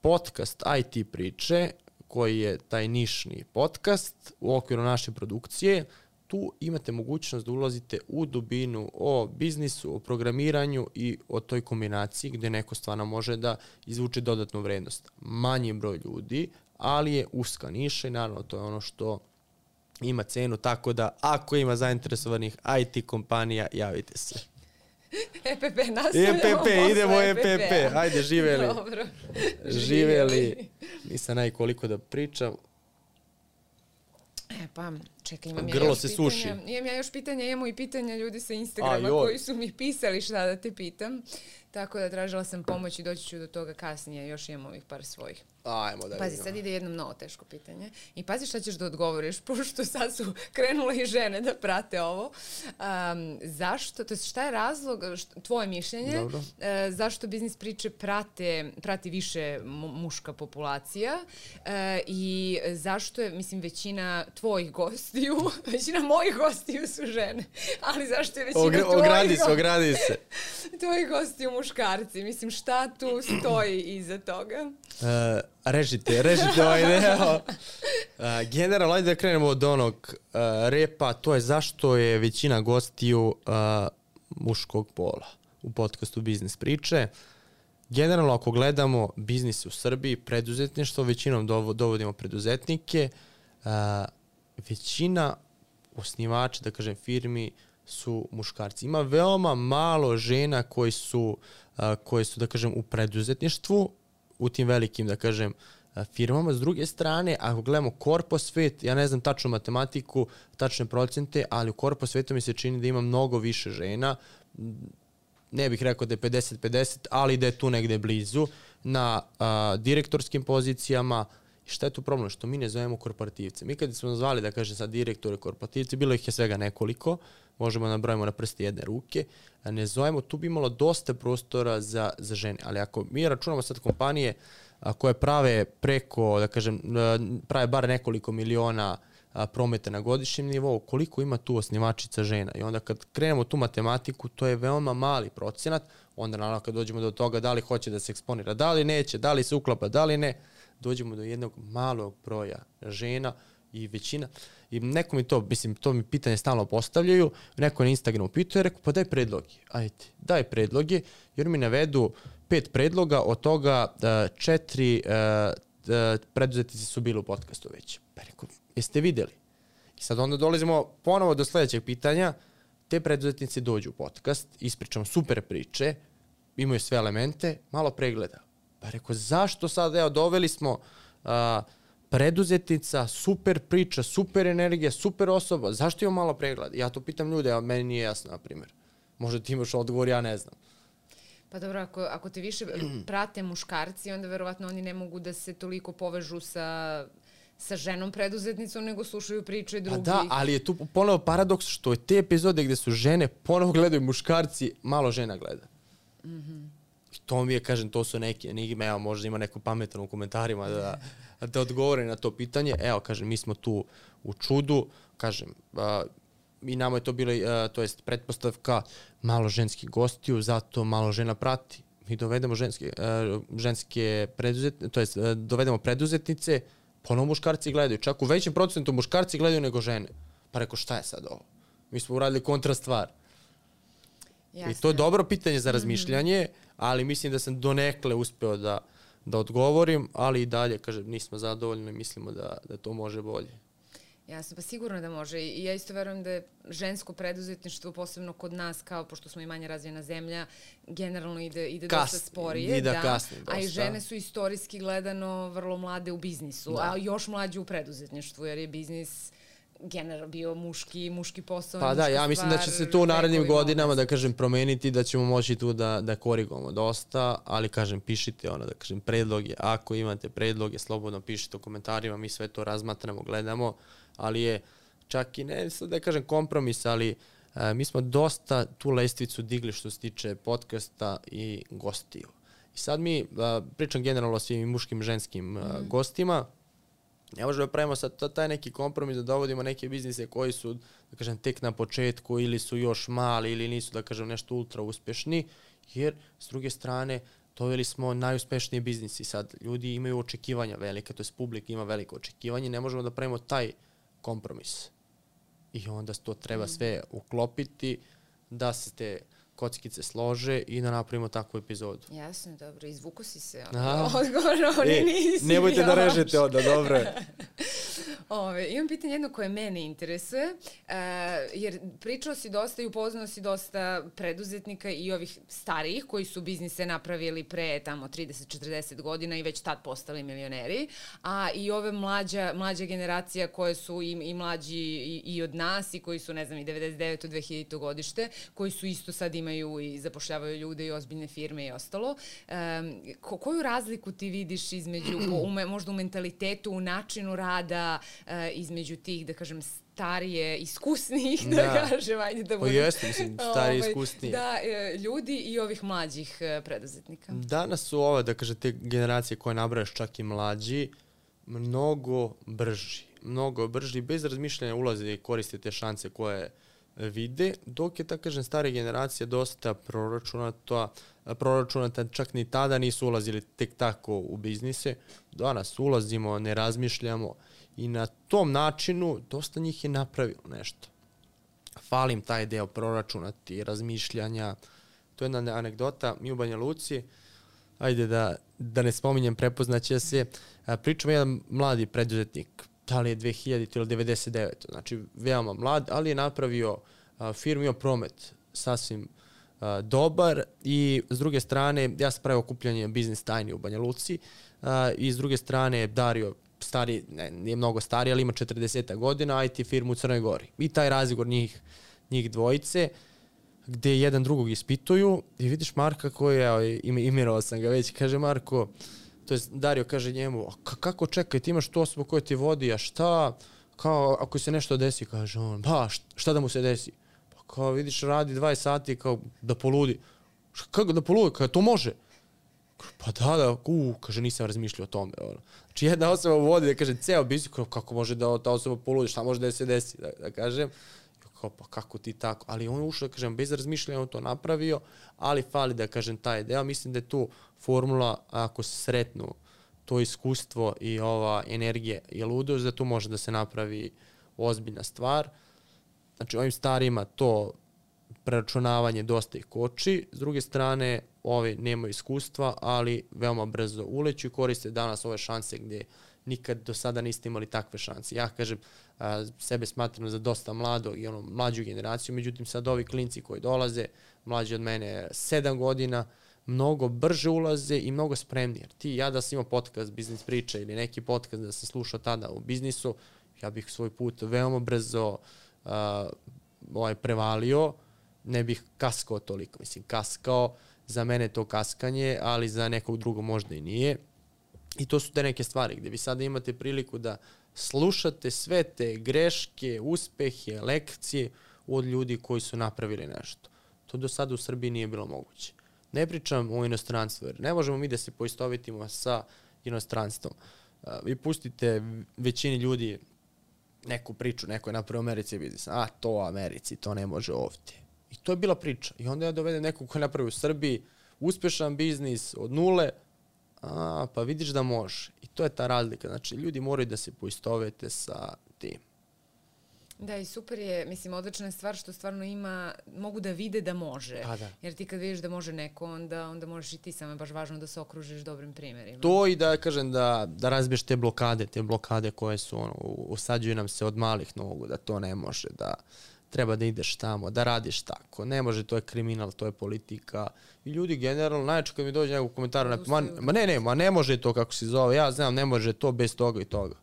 podcast I T priče, koji je taj nišni podcast u okviru naše produkcije, tu imate mogućnost da ulazite u dubinu o biznisu, o programiranju i o toj kombinaciji gde neko stvarno može da izvuče dodatnu vrednost. Manji broj ljudi, ali je uska niša i naravno to je ono što ima cenu, tako da ako ima zainteresovanih I T kompanija, javite se. E P P nastavljamo. E P P, idemo E P P. Ajde, živeli. Dobro. Živeli. Nisam naj koliko da pričam. E pa, čekaj, imam ja Grlo još se pitanja. suši. Imam ja još pitanja, imamo i pitanja ljudi sa Instagrama A, koji su mi pisali šta da te pitam. Tako da tražila sam pomoć i doći ću do toga kasnije. Još imam ovih par svojih. Ajmo da Pazi, vidimo. sad ide jedno mnogo teško pitanje. I pazi šta ćeš da odgovoriš, pošto sad su krenule i žene da prate ovo. Um, zašto, to je šta je razlog, što, tvoje mišljenje, uh, zašto biznis priče prate, prati više muška populacija uh, i zašto je, mislim, većina tvojih gostiju, većina mojih gostiju su žene, ali zašto je većina Ogra, tvojih ogradi se, ogradi se. tvojih gostiju muškarci? Mislim, šta tu stoji iza toga? Uh, režite, režite ovaj deo. Uh, generalno, ajde da krenemo od onog uh, repa, to je zašto je većina gostiju uh, muškog pola u podcastu Biznis priče. Generalno, ako gledamo biznis u Srbiji, preduzetništvo, većinom dovodimo preduzetnike, uh, većina osnivača, da kažem, firmi su muškarci. Ima veoma malo žena koji su, uh, koji su, da kažem, u preduzetništvu, u tim velikim, da kažem, firmama. S druge strane, ako gledamo korpo svet, ja ne znam tačnu matematiku, tačne procente, ali u korpo svetu mi se čini da ima mnogo više žena, ne bih rekao da je pedeset pedeset, ali da je tu negde blizu, na a, direktorskim pozicijama. I šta je tu problem? Što mi ne zovemo korporativce. Mi kad smo nazvali, da kažem sad direktore korporativci, bilo ih je svega nekoliko, možemo nabrojimo na prste jedne ruke, ne zovemo, tu bi imalo dosta prostora za, za žene. Ali ako mi računamo sad kompanije a, koje prave preko, da kažem, prave bar nekoliko miliona a, prometa na godišnjem nivou, koliko ima tu osnivačica žena? I onda kad krenemo tu matematiku, to je veoma mali procenat, onda naravno kad dođemo do toga da li hoće da se eksponira, da li neće, da li se uklapa, da li ne, dođemo do jednog malog broja žena i većina. I neko mi to, mislim, to mi pitanje stalno postavljaju, neko na Instagramu pituje, rekao, pa daj predloge, ajde, daj predloge, jer mi navedu pet predloga, od toga uh, četiri uh, uh, preduzetnici su bili u podcastu već. Pa rekao, jeste videli? I sad onda dolazimo ponovo do sledećeg pitanja, te preduzetnici dođu u podcast, ispričamo super priče, imaju sve elemente, malo pregleda. Pa rekao, zašto sad, evo, doveli smo uh, preduzetnica, super priča, super energija, super osoba, zašto imamo malo pregleda? Ja to pitam ljude, a meni nije jasno, na primjer. Možda ti imaš odgovor, ja ne znam. Pa dobro, ako, ako te više prate muškarci, onda verovatno oni ne mogu da se toliko povežu sa, sa ženom preduzetnicom, nego slušaju priče drugih. Pa da, ali je tu ponovo paradoks što je te epizode gde su žene, ponovo gledaju muškarci, malo žena gleda. Mhm. To mi je, kažem, to su neke enigme, evo, možda ima neko pametan u komentarima da, da odgovore na to pitanje. Evo, kažem, mi smo tu u čudu, kažem, uh, i nama je to bilo, uh, to jest pretpostavka malo ženskih gostiju, zato malo žena prati. Mi dovedemo ženske, uh, ženske preduzetnice, to jest uh, dovedemo preduzetnice, ponovo muškarci gledaju, čak u većem procentu muškarci gledaju nego žene. Pa reko, šta je sad ovo? Mi smo uradili kontra stvar. Jasne. I to je dobro pitanje za razmišljanje, ali mislim da sam donekle uspeo da, da odgovorim, ali i dalje, kažem, nismo zadovoljni i mislimo da, da to može bolje. Jasno, pa sigurno da može. I ja isto verujem da je žensko preduzetništvo, posebno kod nas, kao pošto smo i manje razvijena zemlja, generalno ide, ide Kasni, dosta sporije. Ide da, kasni dosta. A i žene su istorijski gledano vrlo mlade u biznisu, da. A još mlađe u preduzetništvu, jer je biznis generalno bio muški, muški posao. Pa da, ja mislim da će se to u narednim godinama, da kažem, promeniti, da ćemo moći tu da, da korigujemo dosta, ali kažem, pišite ono, da kažem, predloge. Ako imate predloge, slobodno pišite u komentarima, mi sve to razmatramo, gledamo, ali je čak i ne, da kažem, kompromis, ali a, mi smo dosta tu lestvicu digli što se tiče podcasta i gostiju. I sad mi, a, pričam generalno o svim muškim i ženskim a, mm. gostima, ne možemo da pravimo sad taj neki kompromis da dovodimo neke biznise koji su, da kažem, tek na početku ili su još mali ili nisu, da kažem, nešto ultra uspešni, jer s druge strane doveli smo najuspešniji biznis i sad ljudi imaju očekivanja velike, to jest publika ima veliko očekivanje, ne možemo da pravimo taj kompromis. I onda to treba sve uklopiti da se te kockice slože i da napravimo takvu epizodu. Jasno, dobro. Izvuko si se odgovorno, oni e, nisi. Nemojte još da režete onda, dobro je. Ove, imam pitanje jedno koje mene interesuje, uh, jer pričao si dosta i upoznao si dosta preduzetnika i ovih starijih koji su biznise napravili pre tamo trideset četrdeset godina i već tad postali milioneri, a i ove mlađa, mlađa generacija koje su i, i mlađi i, i od nas i koji su, ne znam, i devedeset deveto dve hiljadito godište, koji su isto sad imaju i zapošljavaju ljude i ozbiljne firme i ostalo. Um, ko, koju razliku ti vidiš između, u, možda u mentalitetu, u načinu rada, uh, između tih, da kažem, starije, iskusnijih, da, da kažem, ajde da budem. Pa jeste, mislim, starije, ovaj, iskusnije. Da, ljudi i ovih mlađih preduzetnika. Danas su ove, da kažem, te generacije koje nabrajaš, čak i mlađi, mnogo brži. Mnogo brži, bez razmišljanja ulaze i koriste te šanse koje vide, dok je, tako kažem, stara generacija dosta proračunata, proračunata, čak ni tada nisu ulazili tek tako u biznise. Danas ulazimo, ne razmišljamo i na tom načinu dosta njih je napravilo nešto. Falim taj deo proračunati, razmišljanja. To je jedna anegdota. Mi u Banja Luci, ajde da, da ne spominjem, prepoznaće se, pričamo jedan mladi preduzetnik, da li je dve hiljadite ili devedeset devete. Znači, veoma mlad, ali je napravio a, firmu, imao promet sasvim dobar i s druge strane ja sam pravio okupljanje Biznis tajni u Banja Luci uh, i s druge strane Dario stari, ne, nije mnogo stari, ali ima četrdeset godina, I T firmu u Crnoj Gori. I taj razgovor njih, njih dvojice, gde jedan drugog ispituju i vidiš Marka koji je, imirao sam ga već, kaže Marko, to je Dario kaže njemu, kako čekaj, ti imaš tu osobu koja ti vodi, a šta, kao ako se nešto desi, kaže on, ba, šta da mu se desi? Pa kao vidiš radi dvadeset sati, kao da poludi. Kako da poludi, kao to može? Pa da, da, u, kaže, nisam razmišljao o tome. Ono. Znači, jedna osoba vodi, da kaže, ceo biznis, kako može da ta osoba poludi, šta može da se desi, da, da kažem. Kao, pa kako ti tako? Ali on je ušao, da kažem, bez razmišljanja on to napravio, ali fali, da kažem, taj deo. Mislim da je tu formula, ako se sretnu to iskustvo i ova energija i ludost, da tu može da se napravi ozbiljna stvar. Znači, ovim starima to preračunavanje dosta ih koči. S druge strane, ovi nemaju iskustva, ali veoma brzo uleću i koriste danas ove šanse gdje nikad do sada niste imali takve šanse. Ja kažem, a, sebe smatram za dosta mlado i ono, mlađu generaciju, međutim sad ovi klinci koji dolaze, mlađi od mene sedam godina, mnogo brže ulaze i mnogo spremniji. Jer ti, ja da sam imao podcast Biznis priča ili neki podcast da sam slušao tada u biznisu, ja bih svoj put veoma brzo a, ovaj, prevalio, ne bih kaskao toliko. Mislim, kaskao, za mene to kaskanje, ali za nekog drugog možda i nije. I to su te neke stvari gdje vi sada imate priliku da slušate sve te greške, uspehe, lekcije od ljudi koji su napravili nešto. To do sada u Srbiji nije bilo moguće. Ne pričam o inostranstvu, jer ne možemo mi da se poistovitimo sa inostranstvom. Vi pustite većini ljudi neku priču, neko je napravio u Americi biznis, a to u Americi, to ne može ovdje. I to je bila priča. I onda ja dovedem nekog ko je napravio u Srbiji uspešan biznis od nule, a, pa vidiš da može. I to je ta razlika. Znači, ljudi moraju da se poistovete sa tim. Da, i super je, mislim, odlična je stvar što stvarno ima, mogu da vide da može. Pa da. Jer ti kad vidiš da može neko, onda, onda možeš i ti, samo je baš važno da se okružiš dobrim primjerima. To i da kažem da, da razbiješ te blokade, te blokade koje su, ono, usađuju nam se od malih nogu, da to ne može, da treba da ideš tamo, da radiš tako. Ne može, to je kriminal, to je politika. I ljudi generalno, najčešće kad mi dođe nekog komentara, ne, ma, ma ne, ne, ma ne može to kako se zove, ja znam, ne može to bez toga i toga.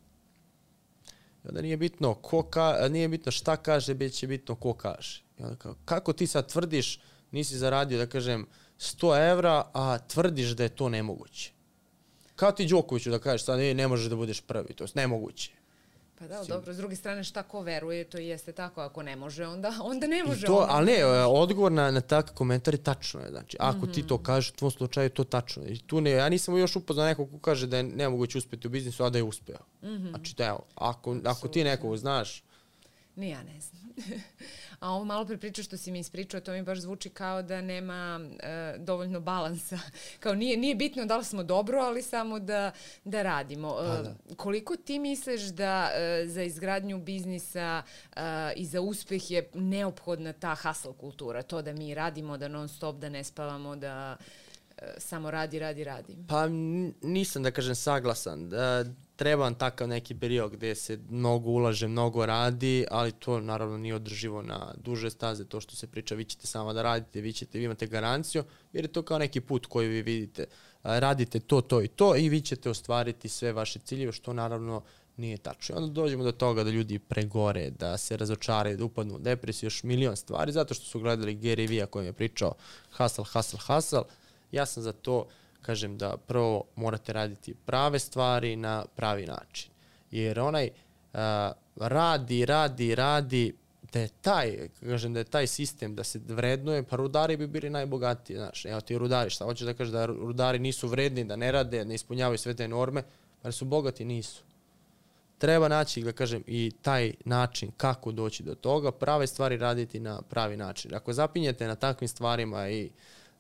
I onda nije bitno, ko ka, nije bitno šta kaže, već će bitno ko kaže. I onda kao, kako ti sad tvrdiš, nisi zaradio, da kažem, sto evra, a tvrdiš da je to nemoguće. Kao ti Đokoviću da kažeš, sad ne, ne možeš da budeš prvi, to je nemoguće. Pa da, dobro, s druge strane šta ko veruje, to jeste tako, ako ne može, onda, onda ne može. To, onda ali ne, ne odgovor na, na takav komentar je tačno je, znači, ako mm-hmm. ti to kažeš, u tvom slučaju to tačno je. I tu ne, ja nisam još upoznao nekog ko kaže da je nemoguće uspjeti u biznisu, a da je uspeo. Mm-hmm. Znači, da, evo, ako, ako ti nekog znaš, ni ja ne znam. A ovo malo pre priča što si mi ispričao, to mi baš zvuči kao da nema e, dovoljno balansa. Kao nije, nije bitno da li smo dobro, ali samo da, da radimo. E, da. Koliko ti misliš da e, za izgradnju biznisa e, i za uspjeh je neophodna ta hustle kultura? To da mi radimo, da non stop, da ne spavamo, da e, samo radi, radi, radi. Pa nisam, da kažem, saglasan. Da, treba takav neki period gdje se mnogo ulaže, mnogo radi, ali to naravno nije održivo na duže staze, to što se priča, vi ćete samo da radite, vi ćete, vi imate garanciju, jer je to kao neki put koji vi vidite, radite to, to i to i vi ćete ostvariti sve vaše ciljeve, što naravno nije tačno. Onda dođemo do toga da ljudi pregore, da se razočaraju, da upadnu u depresiju, još milion stvari, zato što su gledali Gary Vee koji je pričao hustle, hustle, hustle. Ja sam za to, kažem da prvo morate raditi prave stvari na pravi način. Jer onaj uh, radi, radi, radi, da je taj, kažem da je taj sistem da se vrednuje, pa rudari bi bili najbogatiji, znaš. Evo ti rudari, šta hoćeš da kažeš da rudari nisu vredni, da ne rade, ne ispunjavaju sve te norme, pa su bogati, nisu. Treba naći, da kažem, i taj način kako doći do toga, prave stvari raditi na pravi način. Ako zapinjete na takvim stvarima i,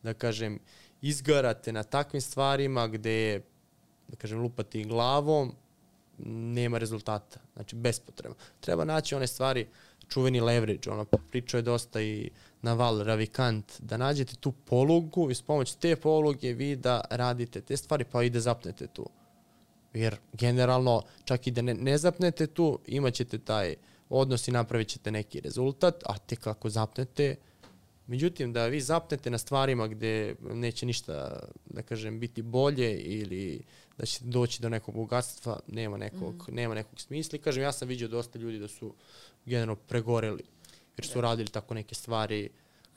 da kažem, izgarate na takvim stvarima gdje je, da kažem, lupati glavom, nema rezultata. Znači, bespotrebno. Treba naći one stvari, čuveni leverage, ono, pričao je dosta i Naval Ravikant, da nađete tu polugu i s pomoć te poluge vi da radite te stvari, pa i da zapnete tu. Jer generalno, čak i da ne, ne zapnete tu, imat ćete taj odnos i napravit ćete neki rezultat, a tek ako zapnete, Međutim, da vi zapnete na stvarima gde neće ništa, da kažem, biti bolje ili da ćete doći do nekog bogatstva, nema nekog, mm. nema nekog smisla. I kažem, ja sam vidio dosta ljudi da su generalno pregoreli, jer su radili tako neke stvari,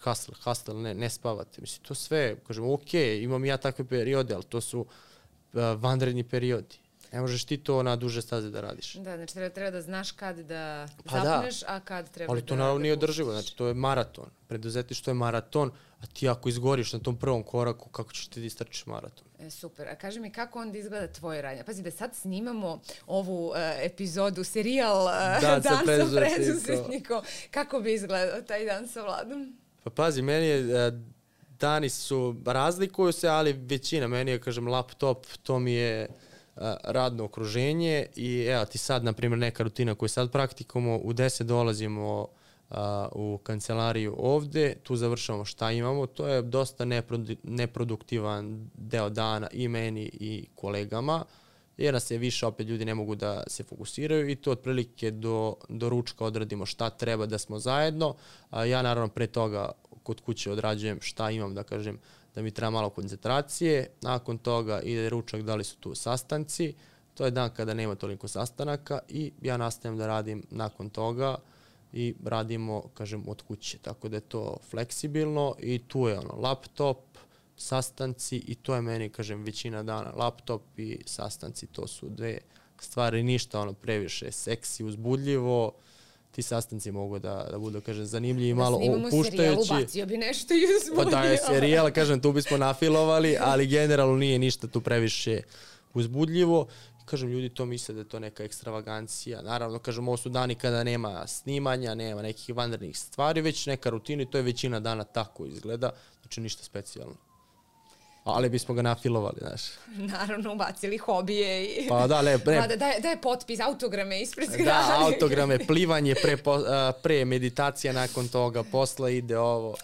hustle, hustle, ne, ne spavate. Mislim, to sve, kažem, ok, imam ja takve periode, ali to su uh, vanredni periodi. Ne možeš ti to na duže staze da radiš. Da, znači treba, treba da znaš kad da pa zapneš, da. a kad treba ali da... to naravno nije održivo, znači to je maraton. Preduzetništvo je maraton, a ti ako izgoriš na tom prvom koraku, kako ćeš ti da istrčiš maraton? E, super. A kaži mi kako onda izgleda tvoje radnje? Pazi da sad snimamo ovu uh, epizodu, serijal uh, da, Dan sa preduzetnikom. preduzetnikom. Kako bi izgledao taj dan sa Vladom? Pa pazi, meni je, uh, dani su, razlikuju se, ali većina, meni je, kažem, laptop, to mi je radno okruženje i evo ti sad, na primjer, neka rutina koju sad praktikamo, u deset dolazimo a, u kancelariju ovde, tu završamo šta imamo, to je dosta neprodu, neproduktivan deo dana i meni i kolegama, jer nas je više, opet ljudi ne mogu da se fokusiraju i to otprilike do, do ručka odradimo šta treba da smo zajedno, a ja naravno pre toga kod kuće odrađujem šta imam, da kažem, da mi treba malo koncentracije, nakon toga ide ručak, da li su tu sastanci, to je dan kada nema toliko sastanaka i ja nastavim da radim nakon toga i radimo, kažem, od kuće, tako da je to fleksibilno i tu je ono, laptop, sastanci i to je meni, kažem, većina dana, laptop i sastanci, to su dve stvari, ništa ono previše seksi, uzbudljivo, ti sastanci mogu da, da budu, kažem, zanimljivi i malo opuštajući. Da snimamo serijal, ubacio bi nešto i uzbudljivo. Pa da je serijal, kažem, tu bismo nafilovali, ali generalno nije ništa tu previše uzbudljivo. Kažem, ljudi to misle da je to neka ekstravagancija. Naravno, kažem, ovo su dani kada nema snimanja, nema nekih vanrednih stvari, već neka rutina i to je većina dana tako izgleda, znači ništa specijalno. Ali bismo ga nafilovali, znaš. Naravno, ubacili hobije i... Pa da, ne, ne. Da, da, da je potpis, autograme ispred zgrade. Da, autograme, plivanje, pre, pre meditacija nakon toga, posla ide ovo.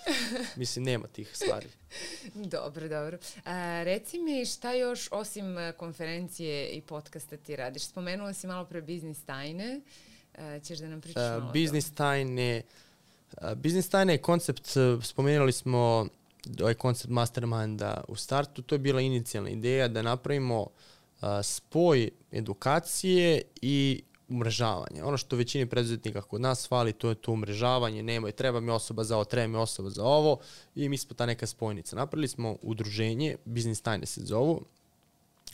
Mislim, nema tih stvari. Dobro, dobro. A, reci mi šta još osim konferencije i podcasta ti radiš? Spomenula si malo pre biznis tajne. A, ćeš da nam pričaš malo o tome? Biznis tajne, biznis tajne je koncept, spomenuli smo ovaj koncept masterminda u startu, to je bila inicijalna ideja da napravimo uh, spoj edukacije i umrežavanja. Ono što većini preduzetnika kod nas fali, to je to umrežavanje, nema i treba mi osoba za ovo, treba mi osoba za ovo i mi smo ta neka spojnica. Napravili smo udruženje, Biznis tajne se zovu.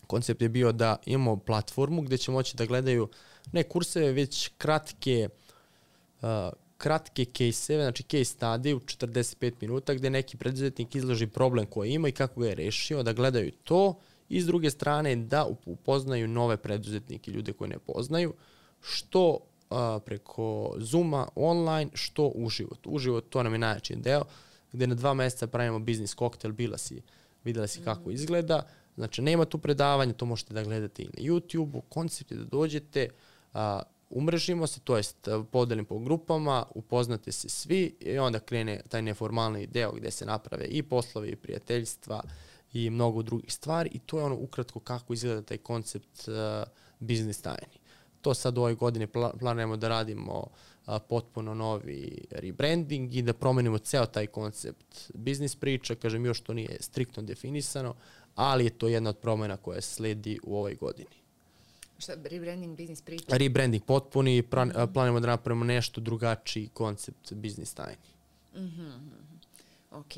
Koncept je bio da imamo platformu gde će moći da gledaju ne kurseve, već kratke uh, kratke case-eve, znači case study u četrdeset pet minuta gde neki preduzetnik izloži problem koji ima i kako ga je rešio, da gledaju to i s druge strane da upoznaju nove preduzetnike, ljude koje ne poznaju, što a, preko Zooma online, što uživo. Uživo to nam je najjači deo, gde na dva meseca pravimo biznis koktel, bila si, videla si kako izgleda, znači nema tu predavanja, to možete da gledate i na YouTube-u, koncept je da dođete, a, umrežimo se, to jest podelim po grupama, upoznate se svi i onda krene taj neformalni deo gde se naprave i poslovi i prijateljstva i mnogo drugih stvari i to je ono ukratko kako izgleda taj koncept uh, biznis tajni. To sad u ovoj godini pla- planujemo da radimo uh, potpuno novi rebranding i da promenimo ceo taj koncept biznis priča, kažem još to nije striktno definisano, ali je to jedna od promena koja sledi u ovoj godini. Šta, rebranding, biznis priča? Rebranding potpuni, plan, mm-hmm. planimo da napravimo nešto drugačiji koncept biznis tajni. Mhm. Ok.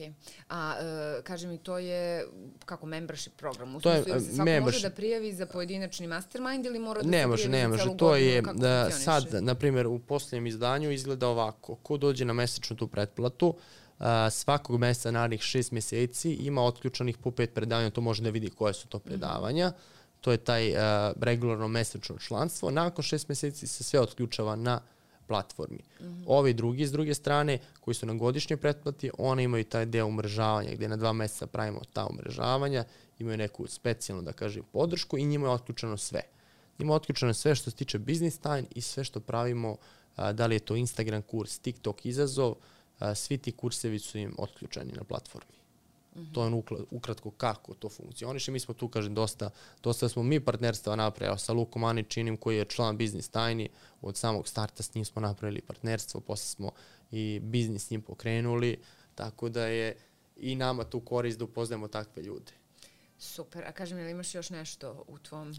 A uh, kaži mi, to je kako membership program? U to je smislu, svako membership. može da prijavi za pojedinačni mastermind ili mora da ne se može, prijavi ne za celu može. To godinu? je Kako da funkcioniše? sad, na primjer, u posljednjem izdanju izgleda ovako. Ko dođe na mesečnu tu pretplatu, uh, svakog meseca narednih šest mjeseci ima otključanih po pet predavanja, to može da vidi koje su to predavanja. Mm-hmm. To je taj uh, regularno mesečno članstvo. Nakon šest mjeseci se sve otključava na platformi. Mm-hmm. Ovi drugi, s druge strane, koji su na godišnjoj pretplati, one imaju taj deo umrežavanja, gdje na dva mjeseca pravimo ta umrežavanja, imaju neku specijalnu, da kažem, podršku i njima je otključeno sve. Njima je otključeno sve što se tiče business time i sve što pravimo, a, da li je to Instagram kurs, TikTok izazov, a, svi ti kursevi su im otključeni na platformi. Mm-hmm. To je on ukratko kako to funkcioniše. Mi smo tu, kažem, dosta, dosta smo mi partnerstva napravili. Sa Lukom Aničinim, koji je član Biznis tajni, od samog starta s njim smo napravili partnerstvo, posle smo i biznis s njim pokrenuli, Tako da je i nama tu korist da upoznajemo takve ljude. Super, a kažem, ili imaš još nešto u tvom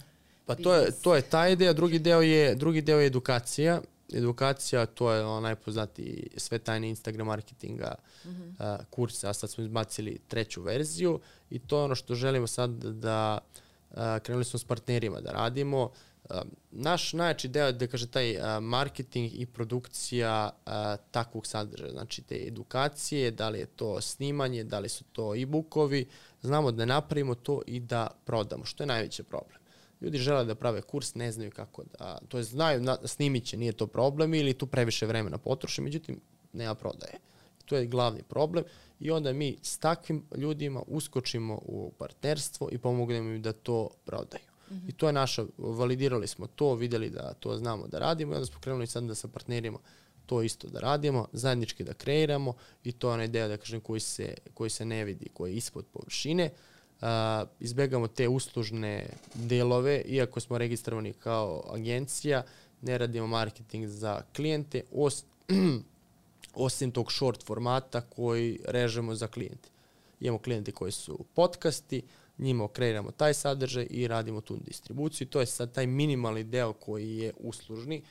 Pa to je, biznisu? to je ta ideja, drugi deo je, drugi deo je edukacija. Edukacija, to je ono najpoznatiji sve tajne Instagram marketinga mm-hmm. uh, kursa, a sad smo izbacili treću verziju i to je ono što želimo sad da uh, krenuli smo s partnerima da radimo. Uh, naš najjači deo je da kaže taj uh, marketing i produkcija uh, takvog sadržaja, znači te edukacije, da li je to snimanje, da li su to e-bookovi, znamo da napravimo to i da prodamo, što je najveći problem. Ljudi žele da prave kurs, ne znaju kako da, to je znaju, na, snimit će, nije to problem ili tu previše vremena potroše, međutim nema prodaje. To je glavni problem i onda mi s takvim ljudima uskočimo u partnerstvo i pomognemo im da to prodaju. Mm-hmm. I to je naša, validirali smo to, vidjeli da to znamo da radimo i onda smo krenuli sad da sa partnerima to isto da radimo, zajednički da kreiramo i to je ona ideja da kažem koji se, koji se ne vidi, koji je ispod površine. Uh, izbegamo te uslužne delove, iako smo registrovani kao agencija, ne radimo marketing za klijente, os, osim tog short formata koji režemo za klijente. Imamo klijente koji su podcasti, njima kreiramo taj sadržaj i radimo tu distribuciju. To je sad taj minimalni deo koji je uslužni.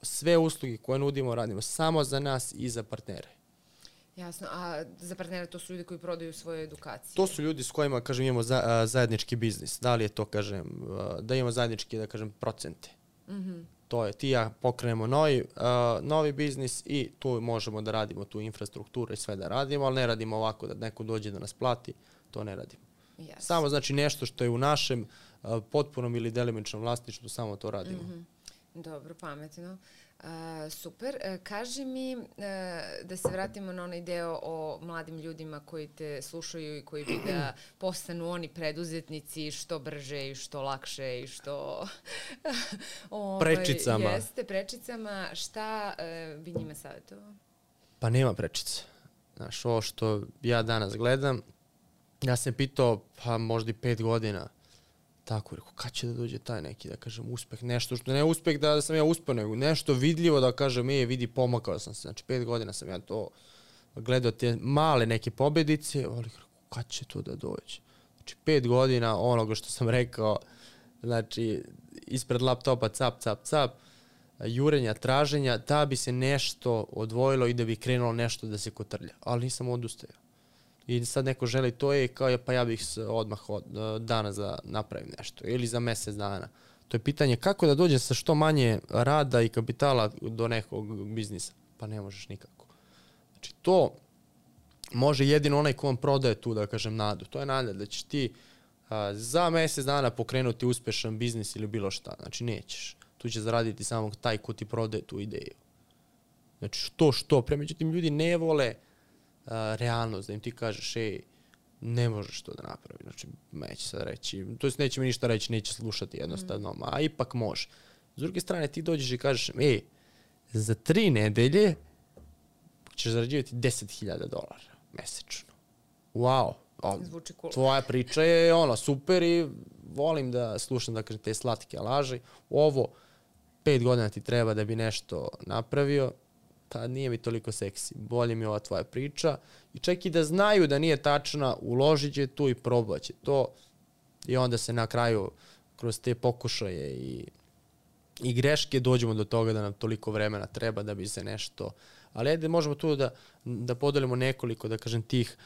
Sve usluge koje nudimo radimo samo za nas i za partnere. Jasno, a za partnere to su ljudi koji prodaju svoje edukacije? To su ljudi s kojima, kažem, imamo za, a, zajednički biznis. Da li je to, kažem, a, da imamo zajednički, da kažem, procente. Mm-hmm. To je, ti ja pokrenemo novi, a, novi biznis i tu možemo da radimo tu infrastrukturu i sve da radimo, ali ne radimo ovako da neko dođe da nas plati, to ne radimo. Yes. Samo znači nešto što je u našem a, potpunom ili delimičnom vlasništvu, samo to radimo. Mm-hmm. Dobro, pametno. Uh, super. Uh, kaži mi uh, da se vratimo na onaj deo o mladim ljudima koji te slušaju i koji bi da postanu oni preduzetnici što brže i što lakše i što... ovaj, prečicama. Jeste, prečicama. Šta uh, bi njima savjetovao? Pa nema prečica. Znaš, ovo što ja danas gledam, ja sam pitao, pa možda i pet godina, tako, rekao, kad će da dođe taj neki, da kažem, uspeh, nešto što ne uspeh da sam ja uspeo, nego nešto vidljivo da kažem, je, vidi, pomakao sam se, znači pet godina sam ja to gledao te male neke pobedice, ali rekao, kad će to da dođe? Znači pet godina onoga što sam rekao, znači ispred laptopa cap, cap, cap, jurenja, traženja, da bi se nešto odvojilo i da bi krenulo nešto da se kotrlja, ali nisam odustajao. I sad neko želi to je kao pa ja bih odmah od danas da napravim nešto ili za mjesec dana. To je pitanje kako da dođem sa što manje rada i kapitala do nekog biznisa. Pa ne možeš nikako. Znači to može jedino onaj ko vam prodaje tu, da kažem, nadu. To je nada da ćeš ti a, za mjesec dana pokrenuti uspešan biznis ili bilo šta. Znači nećeš. Tu će zaraditi samo taj ko ti prodaje tu ideju. Znači što što pre. Međutim, ljudi ne vole Uh, realnost, da im ti kažeš, ej, ne možeš to da napravi. Znači, neće sad reći, to jest neće mi ništa reći, neće slušati jednostavno, mm. a ipak može. S druge strane, ti dođeš i kažeš, ej, za tri nedelje ćeš zarađivati deset hiljada dolara mesečno. Wow. Zvuči cool. Tvoja priča je ono, super i volim da slušam, da kažem, te slatke laži. Ovo, pet godina ti treba da bi nešto napravio, pa nije mi toliko seksi, bolje mi ova tvoja priča i čak i da znaju da nije tačna, uložit će tu i probat će to i onda se na kraju kroz te pokušaje i, i greške dođemo do toga da nam toliko vremena treba da bi se nešto, ali ajde možemo tu da, da podelimo nekoliko, da kažem, tih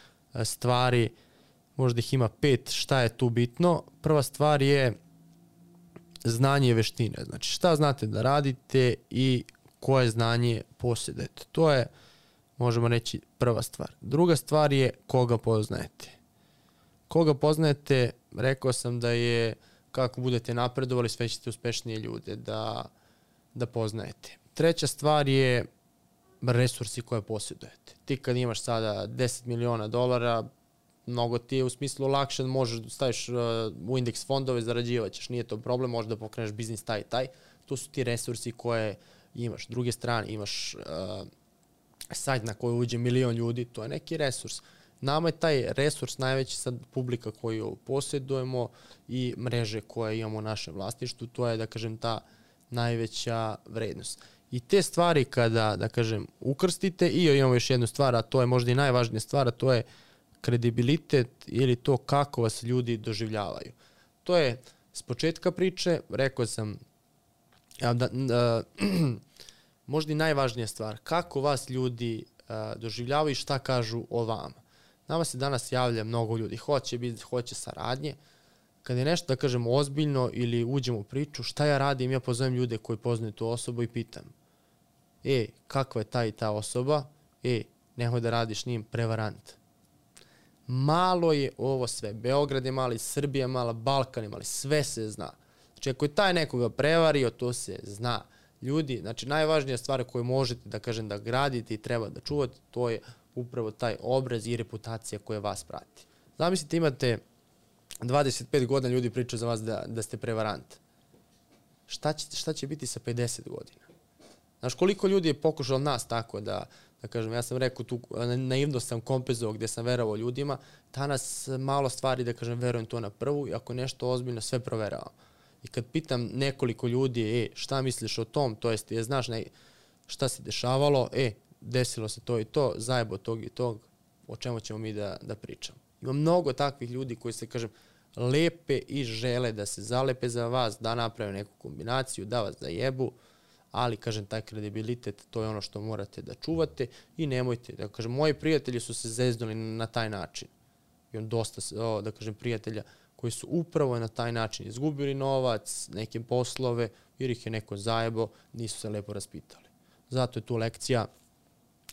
stvari, možda ih ima pet, šta je tu bitno. Prva stvar je znanje i veštine, znači šta znate da radite i koje znanje posjedujete. To je, možemo reći, prva stvar. Druga stvar je koga poznajete. Koga poznajete, rekao sam da je kako budete napredovali, sve ćete uspešnije ljude da, da poznajete. Treća stvar je resursi koje posjedujete. Ti kad imaš sada deset miliona dolara, mnogo ti je u smislu lakše da možeš da staviš u indeks fondove, zarađivaćeš, nije to problem, možeš da pokreneš biznis taj taj. To su ti resursi koje imaš. S druge strane, imaš uh, sajt na koji uđe milion ljudi, to je neki resurs. Nama je taj resurs najveći sad publika koju posjedujemo i mreže koje imamo u našem vlasništvu, to je, da kažem, ta najveća vrednost. I te stvari kada, da kažem, ukrstite, i imamo još jednu stvar, a to je možda i najvažnija stvar, a to je kredibilitet ili to kako vas ljudi doživljavaju. To je s početka priče, rekao sam, da, da, možda i najvažnija stvar, kako vas ljudi a, doživljavaju i šta kažu o vama. Nama se danas javlja mnogo ljudi, hoće biti, hoće saradnje. Kada je nešto, da kažem, ozbiljno ili uđemo u priču, šta ja radim, ja pozovem ljude koji poznaju tu osobu i pitam, e, kakva je ta i ta osoba, e, nemoj da radiš njim, prevarant. Malo je ovo sve, Beograd je mali, Srbija je mala, Balkan je mali, sve se zna. Znači, ako je taj nekoga prevario, to se zna. Ljudi, znači, najvažnija stvar koju možete, da kažem, da gradite i treba da čuvate, to je upravo taj obraz i reputacija koja vas prati. Zamislite, imate dvadeset pet godina, ljudi pričaju za vas da, da ste prevarant. Šta će, šta će biti sa pedeset godina? Znaš, koliko ljudi je pokušalo nas tako da, da kažem, ja sam rekao tu, naivno sam kompenzovao gde sam verovao ljudima, danas malo stvari, da kažem, verujem to na prvu i ako nešto ozbiljno, sve proveravam. I kad pitam nekoliko ljudi, e, šta misliš o tom, to jest, je, znaš ne, šta se dešavalo, e, desilo se to i to, zajebo tog i tog, o čemu ćemo mi da, da pričamo. Ima mnogo takvih ljudi koji se, kažem, lepe i žele da se zalepe za vas, da naprave neku kombinaciju, da vas zajebu, ali, kažem, taj kredibilitet, to je ono što morate da čuvate i nemojte, da kažem, moji prijatelji su se zeznuli na taj način. I on dosta, o, da kažem, prijatelja koji su upravo na taj način izgubili novac, neke poslove, jer ih je neko zajebo, nisu se lepo raspitali. Zato je tu lekcija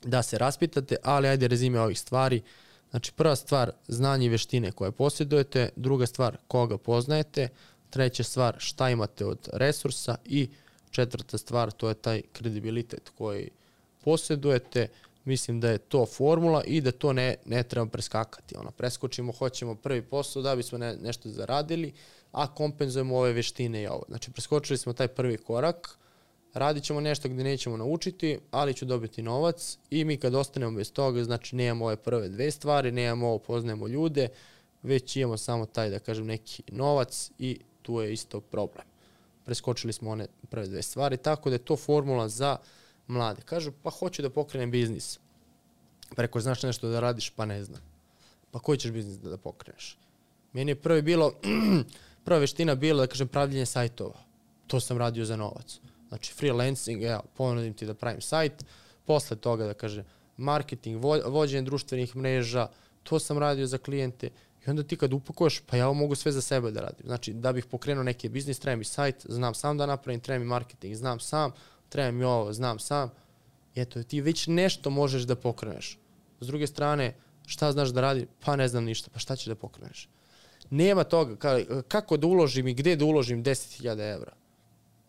da se raspitate, ali ajde rezime ovih stvari. Znači, prva stvar, znanje i veštine koje posjedujete, druga stvar, koga poznajete, treća stvar, šta imate od resursa i četvrta stvar, to je taj kredibilitet koji posjedujete. Mislim da je to formula i da to ne, ne treba preskakati. Ono, preskočimo, hoćemo prvi posao da bismo ne, nešto zaradili, a kompenzujemo ove veštine i ovo. Znači, preskočili smo taj prvi korak, radit ćemo nešto gde nećemo naučiti, ali ću dobiti novac i mi kad ostanemo bez toga, znači nemamo ove prve dve stvari, nemamo ovo, poznajemo ljude, već imamo samo taj, da kažem, neki novac i tu je isto problem. Preskočili smo one prve dve stvari, tako da je to formula za mlade. Kažu, pa hoću da pokrenem biznis. Pa rekao, znaš nešto da radiš? Pa ne znam. Pa koji ćeš biznis da, da pokreneš? Meni je prvi bilo, prva veština bila, da kažem, pravljenje sajtova. To sam radio za novac. Znači, freelancing, evo, ponudim ti da pravim sajt. Posle toga, da kažem, marketing, vo, vođenje društvenih mreža, to sam radio za klijente. I onda ti kad upakuješ, pa ja mogu sve za sebe da radim. Znači, da bih pokrenuo neki biznis, treba mi sajt, znam sam da napravim, treba mi marketing, znam sam, treba mi ovo, znam sam. Eto, ti već nešto možeš da pokreneš. S druge strane, šta znaš da radi? Pa ne znam ništa, pa šta ćeš da pokreneš? Nema toga, kako da uložim i gde da uložim deset hiljada evra?